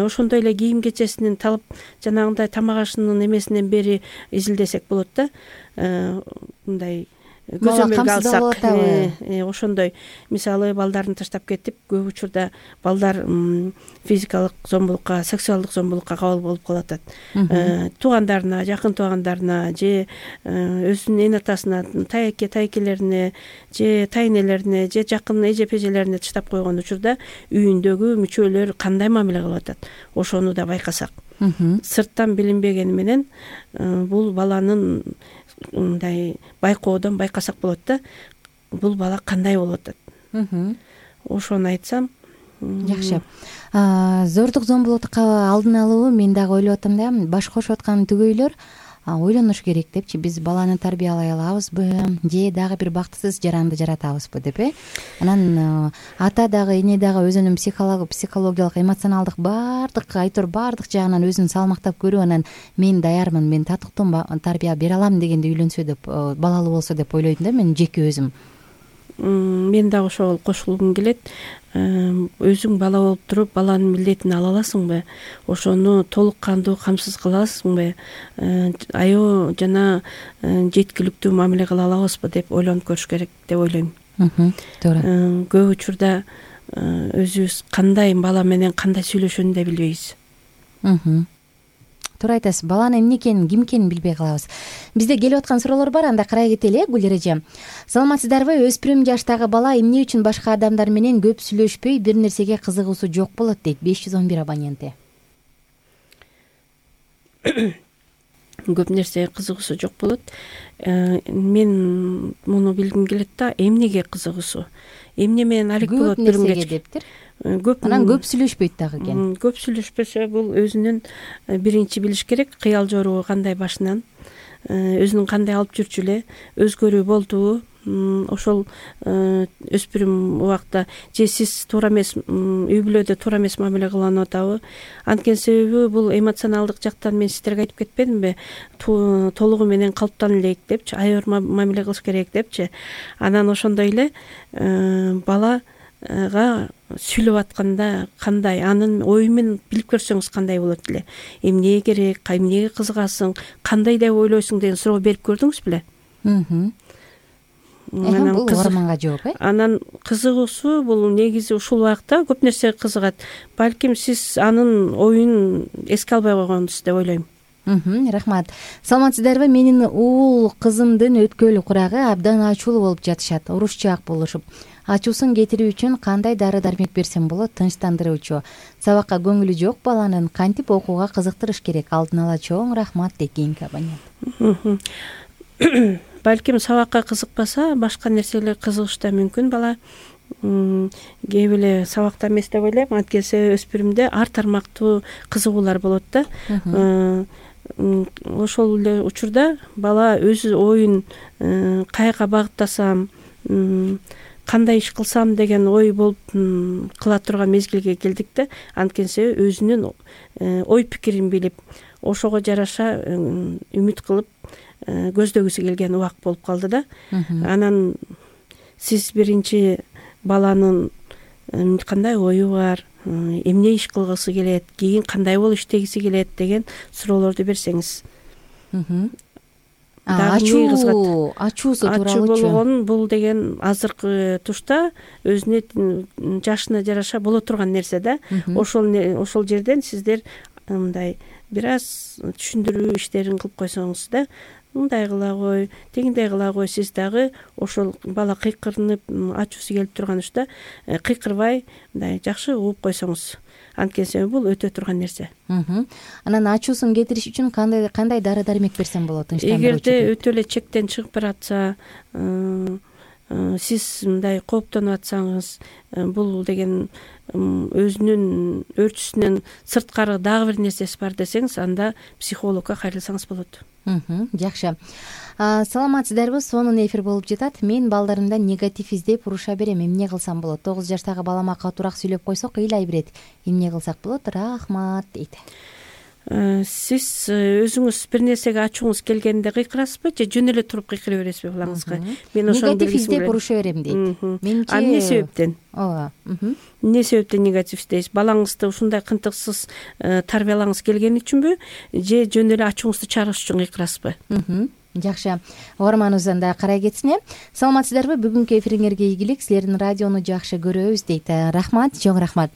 ошондой эле кийим кечесинин талап, жанагындай тамак ашынын эмесинен бери изилдесек болот да. Мындай көзөмөлгө алсак, ошондой мисалы балдарын таштап кетип, көп учурда балдар физикалык зомбулукка, сексуалдык зомбулукка кабыл болуп калат. Туугандарына, жакын туугандарына же өзүнүн эн атасына, тайеке тайекелерине же тайнелерине же жакын эже пежелерине таштап койгон учурда үйүндөгү мүчөлөр кандай мамиле кылып атат, ошону да байкасак. Сырттан билинбегени менен бул баланын мындай байкоодон байкасак болот да, бул бала кандай болуп атат. Ошону айтсам. Жакшы. Зордук зомбулукту алдын алуу, мен дагы ойлоп атам да, баш кошуп аткан түгөйлөр ойлонуш керек депчи, биз баланы тарбиялай алабызбы же дагы бир бактысыз жаранды жаратабызбы деп, э анан ата дагы эне дагы өзүнүн психологиялык, эмоционалдык баардык айтор баардык жагынан өзүн салмактап көрүп, анан мен даярмын, мен татыктуу тарбия бере алам дегенде үйлөнсө деп, балалуу болсо деп ойлойм да мен жеке өзүм. Мен дагы ошол кошулгум келет. Өзүң бала болуп туруп, баланын милдетин ала аласыңбы? Ошону толук кандуу камсыз кыла аласыңбы? Аябай жана жеткиликтүү мамиле кыла алабызбы деп ойлонуп көрүш керек деп ойлойм. Туура. Көп учурда өзүбүз кандай бала менен кандай сүйлөшөөнү да билбейбиз. Туура айтасыз. Баланын эмне экенин, ким экенин билбей калабыз. Бизде келип аткан суроолор бар, анда карай кетели. Гүл эреже. Саламатсыздарбы? Өспүрүм жаштагы бала эмне үчүн башка адамдар менен көп сүйлөшпөй, бир нерсеге кызыгуусу жок болот дейт. беш жүз он бир абоненти. көп нерсеге кызыгуусу жок болот. Мен муну билгим келет да, эмнеге кызыгуусу, эмне менен алек болот көп нерсеге дептир. Көп анан көп сүйлөшпөйт дагы экен. Көп сүйлөшпөсө, бул өзүнүн биринчи билиш керек, кыял жоругу кандай башынан, өзүнүн кандай алып жүрчү эле, өзгөрүү болдубу, ошол өспүрүм убакта же сиз туура эмес, үй бүлөдө туура эмес мамиле кылынып атабы. Анткени себеби бул эмоционалдык жактан мен сиздерге айтып кетпедимби, толугу менен калыптана элек депчи, аябыр мамиле кылыш керек депчи. Анан ошондой эле балага сүйлөп атканда кандай, анын ою менен билип көрсөңүз кандай болот эле, эмне керек, эмнеге кызыгасың, кандай деп ойлойсуң деген суроо берип көрдүңүз беле? Анан бул угарманга жооп, э? Анан кызыгуусу бул негизи ушул убакта көп нерсеге кызыгат. Балким сиз анын оюн эске албай койгонсуз деп ойлойм. Рахмат. Саламатсыздарбы? Менин уул кызымдын өткөлү курагы абдан ачуулуу болуп жатышат, урушчаак болушуп. Ачуусун кетирүү үчүн кандай дары-дармек берсем болот? Тынчтандыруучу. Сабакка көңүлү жок баланын кантип окууга кызыктырыш керек? Алдын ала чоң рахмат дейт кийинки абонент. Балким сабакка кызыкпаса, башка нерселерге кызыгышы да мүмкүн бала. Кээ бирде сабакта эмес деп ойлойм, анткени өспүрүмдө ар тармактуу кызыгуулар болот да. Ошол эле учурда бала өз оюн каяка багыттасам, кандай иш кылсам деген ой болуп кыла турган мезгилге келдик да. Анткени өзүнүн ой пикирин билип, ошого жараша үмүт кылып көздөгүсү келген убак болуп калды да. Анан сиз биринчи баланын кандай ою бар, эмне иш кылгысы келет, кийин кандай болуп иштегиси келет деген суроолорду берсеңиз. Ачуу, ачуусу тууралуучу. Ачуу болгон бул деген азыркы тушта өзүнүн жашына жараша боло турган нерсе да. Ошол ошол жерден сиздер мындай бир аз түшүндүрүү иштерин кылып койсоңуз да, мындай кыла кой, тигиндей кыла кой, сиз дагы ошол бала кыйкырынып ачуусу келип турган учурда кыйкырбай мындай жакшы угуп койсоңуз. Анткени бул өтө турган нерсе. Анан ачуусун кетириш үчүн кандай кандай дары-дармек берсем болот? Эгерде өтө эле чектен чыгып баратса, сиз мындай кооптонуп атсаңыз, бул деген өзүнүн өөрчүсүнөн сырткары дагы бир нерсеси бар десеңиз, анда психологко кайрылсаңыз болот. Жакшы. Саламатсыздарбы? Сонун эфир болуп жатат. Мен балдарымда негатив издеп уруша берем. Эмне кылсам болот? тогуз жаштагы балама катуураак сүйлөп койсок, ыйлай берет. Эмне кылсак болот? Рахмат дейт. Сиз өзүңүз бир нерсеге ачууңуз келгенде кыйкырасызбы же жөн эле туруп кыйкыра бересизби балаңызга? Мен ошону негатив издеп уруша берем дейт. Менчи А эмне себептен? Ооба. Эмне себептен негатив издейсиз? Балаңызды ушундай кынтыксыз тарбиялаңыз келген үчүнбү же жөн эле ачууңузду чыгарыш үчүн кыйкырасызбы? Жакшы. Угарманыбыз анда карай кетсин. Саламатсыздарбы? Бүгүнкү эфириңерге ийгилик. Силердин радиону жакшы көрөбүз дейт. Рахмат, чоң рахмат.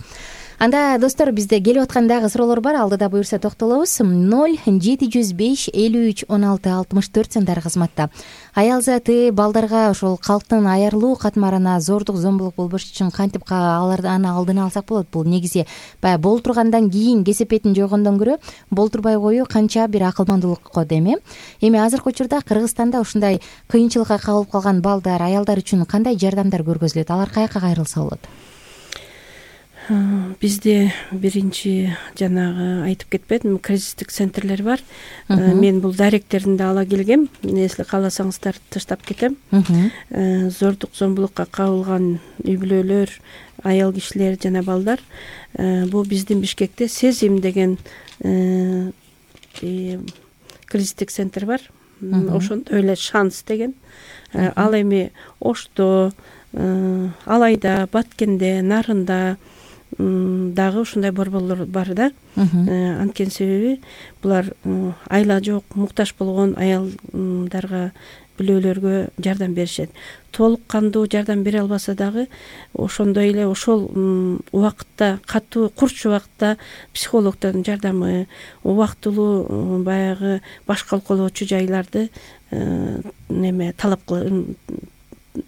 Анда достор, бизде келип аткан дагы суроолор бар. Алдыда буюрса токтолобуз. ноль жети жүз беш элүү үч он алты алтымыш төрт сандар кызматта. Аял заты балдарга ошол калктын аярлуу катмарына зордук зомбулук болбош үчүн кантип аларды аны алдын алсак болот? Бул негизи баягы болтургандан кийин кесепетин жойгондон көрө болтурбай коюу канча бир акылмандуулукко деме. Эми азыркы учурда Кыргызстанда ушундай кыйынчылыкка кабылып калган балдар, аялдар үчүн кандай жардамдар көргөзүлөт? Алар каяка кайрылса болот? Бизде биринчи жанагы айтып кетпедимби, кризистик центрлер бар. Мен бул даректерин да ала келгем. Если кааласаңыздар таштап кетем. Зордук зомбулукка кабылган үй бүлөлөр, аял кишилер жана балдар. Бул биздин Бишкекте Сезим деген кризистик центр бар. Ошондой эле Шанс деген. Ал эми Ошто, Алайда, Баткенде, Нарында дагы ушундай борборлор бар да. Анткени себеби булар айла жок, муктаж болгон аялдарга, бүлөлөргө жардам беришет. Толук кандуу жардам бере албаса дагы ошондой эле ошол убакытта, катуу курч убакытта психологдордун жардамы, убактылуу баягы баш калкалоочу жайларды неме талап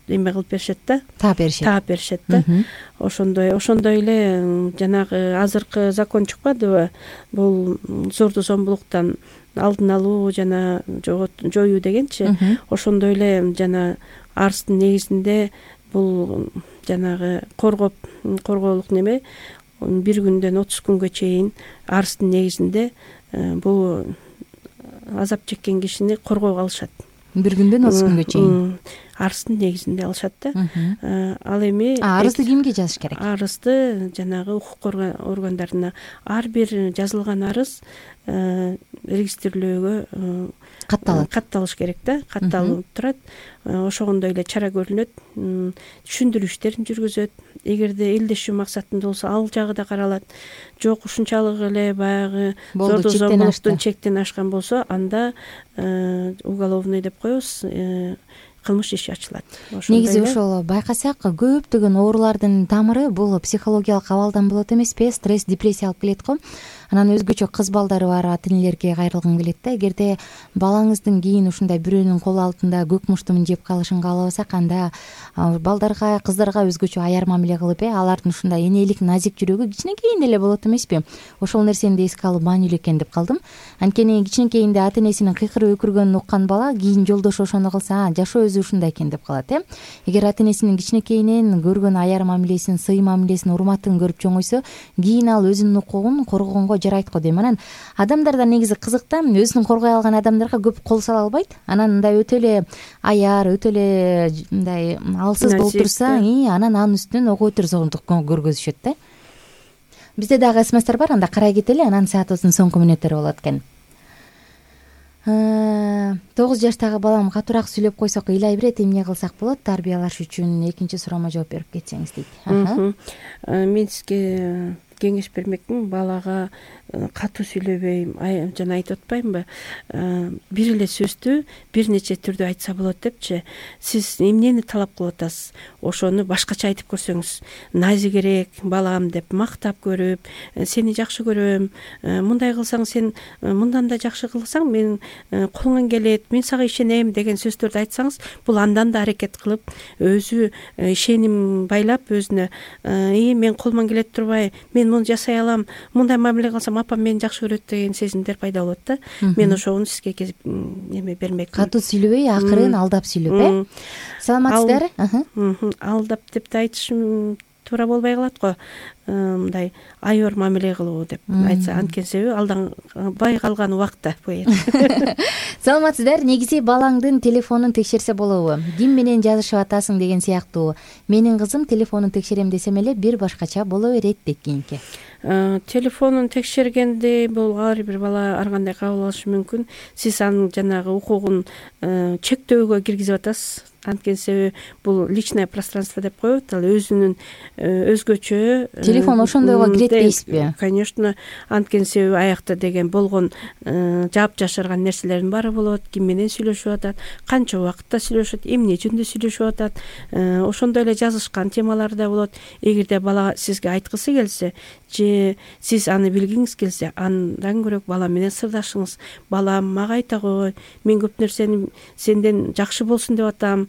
эме кылып беришет да, таап беришет таап беришет да. ошондой ошондой эле жанагы азыркы закон чыкпадыбы, бул зорду зомбулуктан алдын алуу жана жоюу дегенчи. Ошондой эле жана арыздын негизинде бул жанагы коргоп коргоолук неме бир күндөн отуз күнгө чейин арыздын негизинде бул азап чеккен кишини коргоого алышат. Бир күндөн отуз күнгө чейин арыздын негизинде алышат да. Ал эми арызды кимге жазыш керек? Арызды жанагы укук органдарына. Ар бир жазылган арыз регистрлөөгө катталат катталыш керек да, катталып турат. Ошондой эле чара көрүлөт, түшүндүрүү иштерин жүргүзөт. Эгерде элдешүү максатында болсо ал жагы да каралат. Жок, ушунчалык эле баягы зордуу зомбулуктун чектен ашкан болсо, анда уголовный деп коебуз, кылмыш иши ачылат. Негизи ошол байкасак, көптөгөн оорулардын тамыры бул психологиялык абалдан болот эмеспи? Стресс, депрессия алып келет го. Анан өзгөчө кыз балдары бар ата энелерге кайрылгым келет да. Эгерде балаңыздын кийин ушундай бирөөнүн кол алтында көк муштумун жеп калышын каалабасак, анда балдарга, кыздарга өзгөчө аяр мамиле кылып, э алардын ушундай энелик, назик жүрөгү кичинекейинде эле болот эмеспи? Ошол нерсени да эске алып маанилүү экен деп калдым. Анткени кичинекейинде ата энесинин кыйкырып өкүргөнүн уккан бала кийин жолдошу ошону кылса, жашоо өзү ушундай экен деп калат, э Эгер ата энесинин кичинекейинен көргөн аяр мамилесин, сый мамилесин, урматын көрүп чоңойсо, кийин ал өзүнүн укугун коргогонго жарайт го дейм. Анан адамдарда негизи кызык да, өзүн коргой алган адамдарга көп кол сала албайт. Анан мындай өтө эле аяр, өтө эле мындай алсыз болуп турса, анан анын үстүнөн ого өтөр зомдук көргөзүшөт да. Бизде дагы смстер бар, анда карай кетели, анан саатыбыздын соңку мүнөттөрү болот экен. тогуз жаштагы балам катуураак сүйлөп койсок ыйлай берет, эмне кылсак болот тарбиялаш үчүн? Экинчи суроомо жооп берип кетсеңиз дейт. Мен сизге кеңеш бермекмин. Балага катуу сүйлөбөйм, жана айтып атпаймынбы, бир эле сөздү бир нече түрдө айтса болот депчи. Сиз эмнени талап кылып атасыз, ошону башкача айтып көрсөңүз, назигерээк балам деп мактап көрүп, сени жакшы көрөм, мындай кылсаң сен мындан да жакшы кылсаң мен колуңан келет, мен сага ишенем деген сөздөрдү айтсаңыз, бул андан да аракет кылып, өзү ишеним байлап өзүнө, и мен колуман келет турбай, мен муну жасай алам, мындай мамиле кылсам апам мени жакшы көрөт деген сезимдер пайда болот да. Мен ошону сизге эме бермекмин. Катуу сүйлөбөй, акырын алдап сүйлөп, э Саламатсыздарбы? Алдап деп да айтышым туура болбой калат го. Мындай айыр мамиле кылуу деп айтса, анткени себеби алдан бай калган убакта бу. Саламатсыздар, негизи балаңдын телефонун текшерсе болобу? Ким менен жазышып атасың деген сыяктуу. Менин кызым телефонун текшерем десем эле бир башкача боло берет дейт кийинки. Телефонун текшергенде бул ар бир бала ар кандай кабыл алышы мүмкүн. Сиз анын жанагы укугун чектөөгө киргизип атасыз. Анткени себеби бул личное пространство деп коет, ал өзүнүн өзгөчө. Телефон ошондойго кирет дейсизби? Конечно, анткени себеби аякта деген болгон жаап жашырган нерселердин баары болот. Ким менен сүйлөшүп атат, канча убакытта сүйлөшөт, эмне жөнүндө сүйлөшүп атат, ошондой эле жазышкан темалар да болот. Эгерде бала сизге айткысы келсе, же сиз аны билгиңиз келсе, андан көрөк бала менен сырдашыңыз. Балам, мага айта кой, мен көп нерсени сенден жакшы болсун деп атам,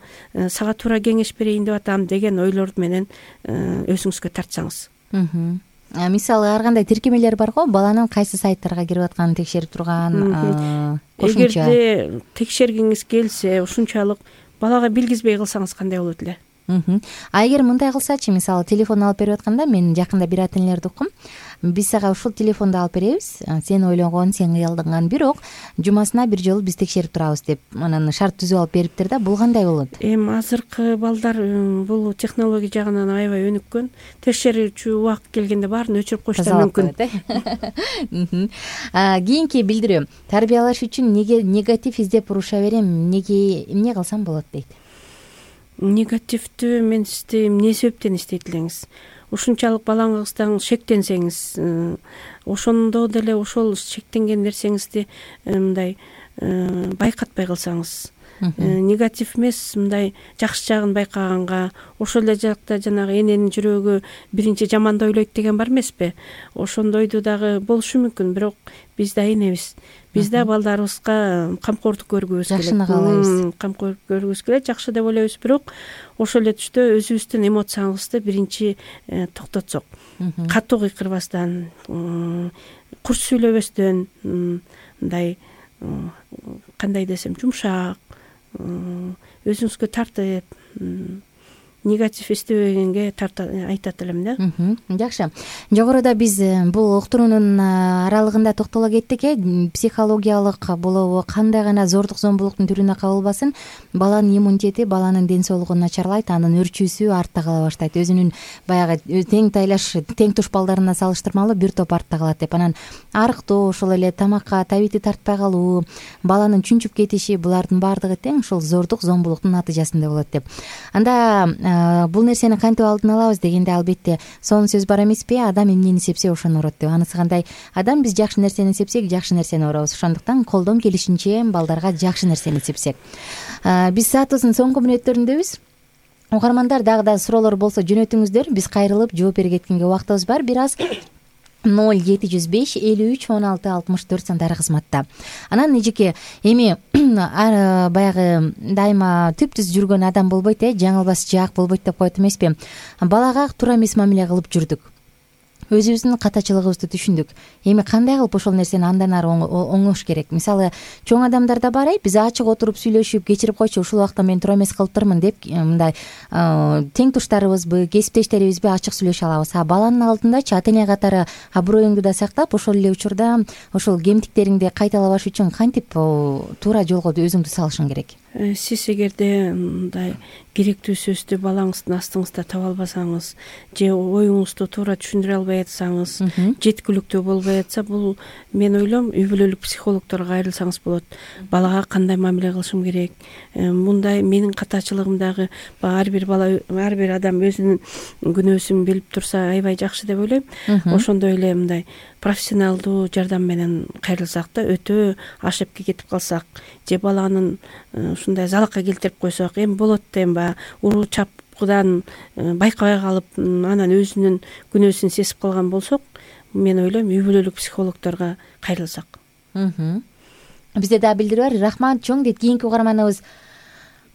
сага туура кеңеш берейин деп атам деген ойлор менен өзүңүзгө тартсаңыз. Мисалы ар кандай тиркемелер бар го, баланын кайсы сайттарга кирип атканын текшерип турган. Эгерде текшергиңиз келсе, ушунчалык балага билгизбей кылсаңыз кандай болот эле? А эгер мындай кылсачы, мисалы телефон алып берип атканда, мен жакында бир ата энелерди уккум. Биз сага ушул телефонду алып беребиз, сен ойлогон, сен кыялданган, бирок жумасына бир жолу биз текшерип турабыз деп анан шарт түзүп алып бериптир да. Бул кандай болот? Эми азыркы балдар бул технология жагынан аябай өнүккөн. Текшерүүчү убакыт келгенде баарын өчүрүп коюштары мүмкүн. Кийинки билдирүү. Тарбиялаш үчүн неге негатив издеп уруша берем, неге эмне кылсам болот дейт? Негативдүү мен сизди эмне себептен издейт элеңиз? Ушунчалык балаңыздан шектенсеңиз, ошондо деле ошол шектенген нерсеңизди мындай байкатпай калсаңыз, негатив эмес, мындай жакшы жагын байкаганга, ошол эле жакта жанагы эненин жүрөгү биринчи жаманды ойлойт деген бар эмеспи? Ошондойду дагы болушу мүмкүн, бирок биз да энебиз. Биз да балдарыбызга камкордук көргүбүз келет. Жакшыны каалайбыз. Камкордук көргүбүз келет, жакшы деп ойлойбуз, бирок ошол эле түштө өзүбүздүн эмоциябызды биринчи токтотсок, катуу кыйкырбастан, курч сүйлөбөстөн, мындай кандай десем, жумшак, өзүңүзгө тартып, негатив эстебегенге айтат элем да. Жакшы. Жогоруда биз бул уктуруунун аралыгында токтоло кеттик. Э психологиялык болобу, кандай гана зордук зомбулуктун түрүнө кабылбасын, баланын иммунитети, баланын ден соолугу начарлайт, анын өрчүүсү артта кала баштайт. Өзүнүн баягы тең тайлаш, тең туш балдарына салыштырмалуу бир топ артта калат деп. Анан арыктоо, ошол эле тамакка табити тартпай калуу, баланын чүнчүп кетиши, булардын баардыгы тең ушул зордук зомбулуктун натыйжасында болот деп. Анда бул нерсени кантип алдын алабыз дегенде, албетте сонун сөз бар эмеспи? Адам эмнени сепсе ошону урот деп. Анысы кандай? Адам биз жакшы нерсени сепсек, жакшы нерсени урабыз. Ошондуктан колдон келишинче балдарга жакшы нерсени сепсек. Биз саатыбыздын соңку мүнөттөрүндөбүз. Угармандар, дагы да суроолор болсо жөнөтүңүздөр. Биз кайрылып жооп бере кеткенге убактыбыз бар. Бир аз ноль жети жүз беш элүү үч он алты алтымыш төрт сандары кызматта. Анан эжеке, эми баягы дайыма түп-түз жүргөн адам болбойт, э жаңылбас жаак болбойт деп коет эмеспи? Балага туура эмес мамиле кылып жүрдүк. Өзүбүздүн катачылыгыбызды түшүндүк. Эми кандай кылып ошол нерсени андан ары оңош керек? Мисалы, чоң адамдарда бар, биз ачык отуруп сүйлөшүп, кечирип койчу, ушул убакта мен туура эмес кылыптырмын деп, мындай тең туштарыбызбы, кесиптештерибизби ачык сүйлөшө алабыз. А баланын алдындачы ата эне катары аброюңду да сактап, ошол эле учурда ошол кемтиктериңди кайталабаш үчүн кантип туура жолго өзүңдү салышың керек? Сиз эгерде мындай керектүү сөздү балаңыздын астыңызда таба албасаңыз, же оюңузду туура түшүндүрө албай атсаңыз, жеткиликтүү болбой атса, бул мен ойлойм үй бүлөлүк психологдорго кайрылсаңыз болот. Балага кандай мамиле кылышым керек? Мындай менин катачылыгымдагы ар бир бала, ар бир адам өзүнүн күнөөсүн билип турса, аябай жакшы деп ойлойм. Ошондой эле мындай профессионалдуу жардам менен кайрылсак да, өтө ашепке кетип калсак, же баланын ушундай залакка келтирип койсок, эми болот дейм ба, уруу чапкыдан байкабай калып, анан өзүнүн күнөөсүн сезип калган болсок, мен ойлойм үй бүлөлүк психологдорго кайрылсак. Бизде дагы билдирүү бар. Рахмат чоң дейт кийинки угарманыбыз.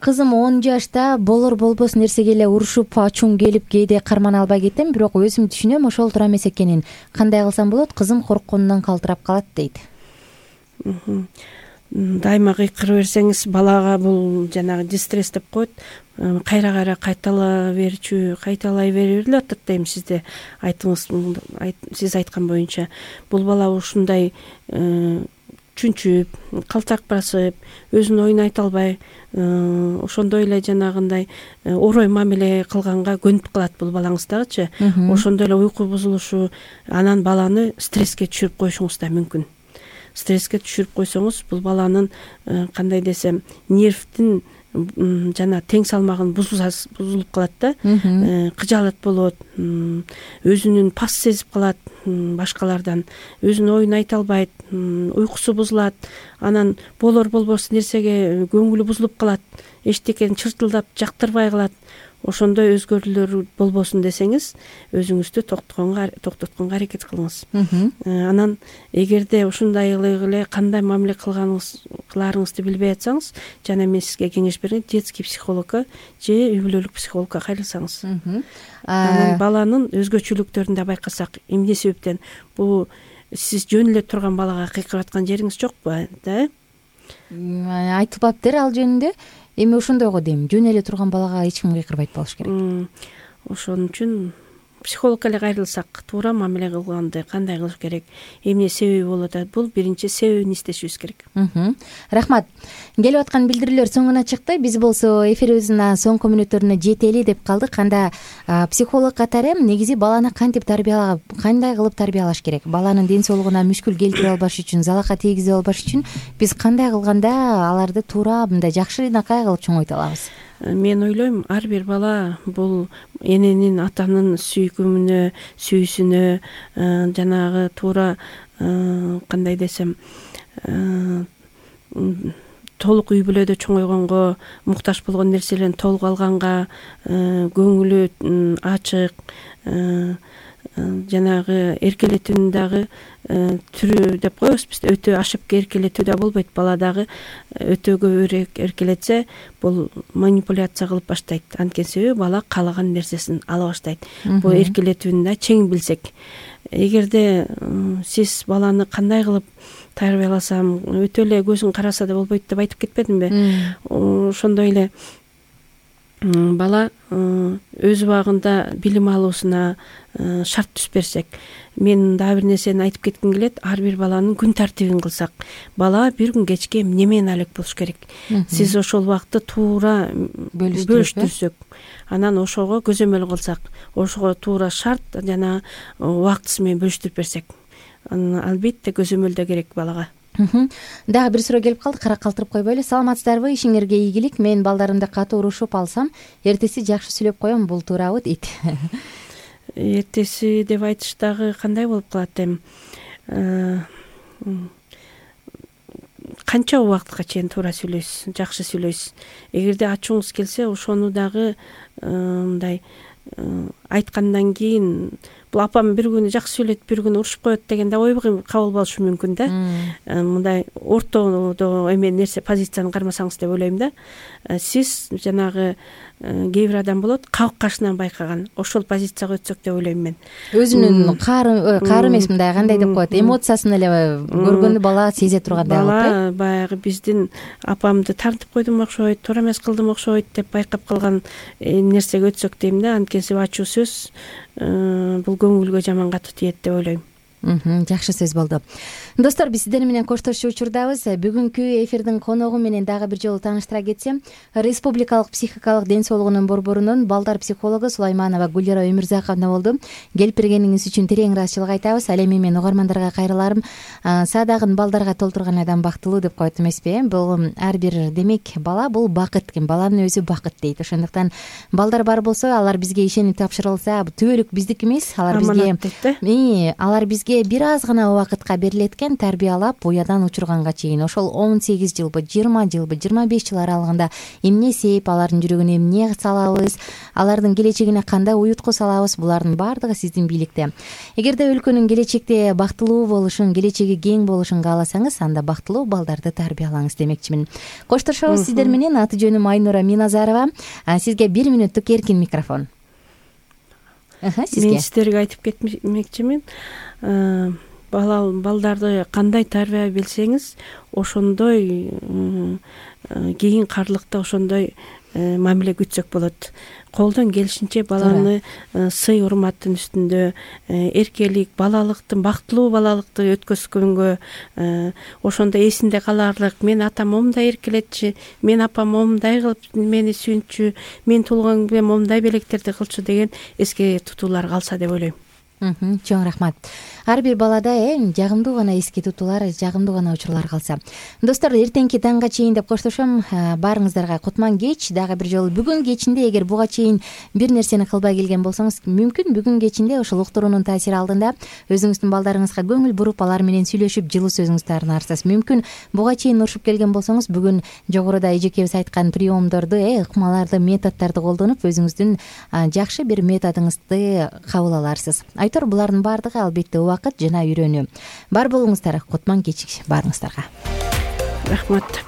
Кызым он жашта болор болбос нерсеге эле урушуп, ачуң келип, кээде кармана албай кетем, бирок өзүм түшүнөм ошол туура эмес экенин. Кандай кылсам болот? Кызым коркконунан калтырап калат дейт. Дайыма кыйкырып берсеңиз, балага бул жанагы дистресс деп коет. Кайра-кайра кайтала берчү, кайталай берип атат дейм сизде. Айтыңыз, сиз айткан боюнча, бул бала ушундай чүнчүп, калтак басып, өзүнүн оюн айта албай, ошондой эле жанагындай орой мамиле кылганга көнүп калат бул балаңыз дагычы. Ошондой эле уйку бузулушу, анан баланы стресске түшүрүп коюшуңуз да мүмкүн. Стресске түшүрүп койсоңуз, бул баланын кандай десем, нервдин жана тең салмагын бузулуп калат да, кыжаалат болот, өзүнүн пас сезип калат башкалардан, өзүнүн оюн айта албайт, уйкусу бузулат, анан болор болбос нерсеге көңүлү бузулуп калат, эчтекени чыртылдап жактырбай калат. Ошондой өзгөрүүлөр болбосун десеңиз, өзүңүздү токтотконго аракет кылыңыз. Анан эгерде ушундай эле кандай мамиле кыларыңызды билбей атсаңыз, жана мен сизге кеңеш берем, детский психологко же үй бүлөлүк психологко кайрылсаңыз. Анан баланын өзгөчөлүктөрүн да байкасак, эмне себептен бул сиз жөн эле турган балага кыйкырып аткан жериңиз жокпу, да? Айтылбаптыр ал жөнүндө. Эми ошондойго дейм, жөн эле турган балага эч ким кыйкырбайт болуш керек. Ошон үчүн психологко эле кайрылсак, туура мамиле кылганды кандай кылыш керек, эмне себеби болуп атат, бул биринчи себебин издешибиз керек. Рахмат. Келип аткан билдирүүлөр соңуна чыкты. Биз болсо эфирибиздин соңку мүнөттөрүнө жетели деп калдык. Анда психолог катары негизи баланы кантип тарбиялап, кандай кылып тарбиялаш керек? Баланын ден соолугуна мүшкүл келтире албаш үчүн, залака тийгизе албаш үчүн биз кандай кылганда аларды туура мындай жакшынакай кылып чоңойто алабыз? Мен ойлойм, ар бир бала бул эненин, атанын сүйкүмүнө, сүйүүсүнө, жанагы туура кандай десем, толук үй бүлөдө чоңойгонго, муктаж болгон нерселерин толук алганга, көңүлү ачык, жанагы эркелетүүнүн дагы түрү деп коебуз биз, өтө ашып эркелетүү да болбойт. Бала дагы өтө көбүрөөк эркелетсе, бул манипуляция кылып баштайт. Анткени себеби бала каалаган нерсесин ала баштайт. Бул эркелетүүнү да чең билсек. Эгерде сиз баланы кандай кылып тарбияласам, өтө эле көзүн караса да болбойт деп айтып кетпедимби? Ошондой эле бала өз убагында билим алуусуна шарт түзүп берсек, мен дагы бир нерсени айтып кетким келет. Ар бир баланын күн тартибин кылсак, бала бир күн кечке эмне менен алек болуш керек. Сиз ошол убакытты туура бөлүштүрсөк, анан ошого көзөмөл кылсак, ошого туура шарт жана убактысы менен бөлүштүрүп берсек, албетте көзөмөл да керек балага. Дагы бир суроо келип калды, кара калтырып койбойлу. Саламатсыздарбы? Ишиңерге ийгилик. Мен балдарымды катуу урушуп алсам, эртеси жакшы сүйлөп коем, бул туурабы дейт. Эртеси деп айтыш дагы кандай болуп калат эми? Канча убакытка чейин туура сүйлөйсүз, жакшы сүйлөйсүз? Эгерде ачууңуз келсе, ошону дагы мындай айткандан кийин, бул апам бир күнү жакшы сүйлөйт, бир күнү урушуп коет деген да ой кабыл болушу мүмкүн да. Мындай ортодо эме нерсе, позицияны кармасаңыз деп ойлойм да. Сиз жанагы кээ бир адам болот, кабык кашынан байкаган, ошол позицияга өтсөк деп ойлойм мен. Өзүнүн каары каары эмес, мындай кандай деп коет, эмоциясын эле көргөндө бала сезе тургандай болот. Бала баягы биздин апамды тартып койдум окшойт, туура эмес кылдым окшойт деп байкап калган нерсеге өтсөк дейм да. Анткени ачуу сөз бул көңүлгө жаман катуу тиет деп ойлойм. Жакшы сөз болду. Достор, биз сиздер менен коштошуу учурдабыз. Бүгүнкү эфирдин коногу менен дагы бир жолу тааныштыра кетсем, Республикалык психикалык ден соолугунун борборунун балдар психологу Сулайманова Гүлира Өмүрзаковна болду. Келип бергениңиз үчүн терең ыраазычылык айтабыз. Ал эми мен угармандарга кайрыларым. Саадагын балдарга толтурган адам бактылуу деп коет эмеспи? Бул ар бир, демек, бала бул бакыт экен. Баланын өзү бакыт дейт. Ошондуктан балдар бар болсо, алар бизге ишенип тапшырылса, түбөлүк биздики эмес, алар бизге алар бизге бир аз гана убакытка берилет экен, тарбиялап буядан учурганга чейин. Ошол он сегиз жылбы, жыйырма жылбы, жыйырма беш жыл аралыгында эмне сээп, алардын жүрөгүнө эмне салабыз, алардын келечегине кандай уютку салабыз, булардын баардыгы сиздин бийликте. Эгерде өлкөнүн келечекте бактылуу болушун, келечеги кең болушун кааласаңыз, анда бактылуу балдарды тарбиялаңыз демекчимин. Коштошобуз сиздер менен. Аты жөнүм Айнура Миназарова. Сизге бир мүнөттүк эркин микрофон. Мен сиздерге айтып кетмекчимин. Бала балдарды кандай тарбия билсеңиз, ошондой кийин карлыкта ошондой мамиле күтсөк болот. Колдон келишинче баланы сый урматтын үстүндө, эркелик, балалыктын, бактылуу балалыкты өткөзгөнгө, ошондо эсинде каларлык, мен атам момундай эркелетчү, мен апам момундай кылып мени сүйүнчү, мен туулган күнүмө момундай белектерди кылчу деген эске тутуулар калса деп ойлойм. Чоң рахмат. Ар бир балада эң жагымдуу гана эске тутуулар, жагымдуу гана учурлар калса. Достор, эртеңки таңга чейин деп коштошом. Баарыңыздарга кутман кеч. Дагы бир жолу бүгүн кечинде, эгер буга чейин бир нерсени кылбай келген болсоңуз, мүмкүн бүгүн кечинде ошол уктуруунун таасири алдында өзүңүздүн балдарыңызга көңүл буруп, алар менен сүйлөшүп, жылуу сөзүңүздү арнарсыз. Мүмкүн буга чейин урушуп келген болсоңуз, бүгүн жогоруда эжекебиз айткан приомдорду, ыкмаларды, методдорду колдонуп, өзүңүздүн жакшы бир методуңузду кабыл аларсыз. Айтор, булардын баардыгы албетте убакыт жана үйрөнүү. Бар болуңуздар, кутман кеч баарыңыздарга. Рахмат.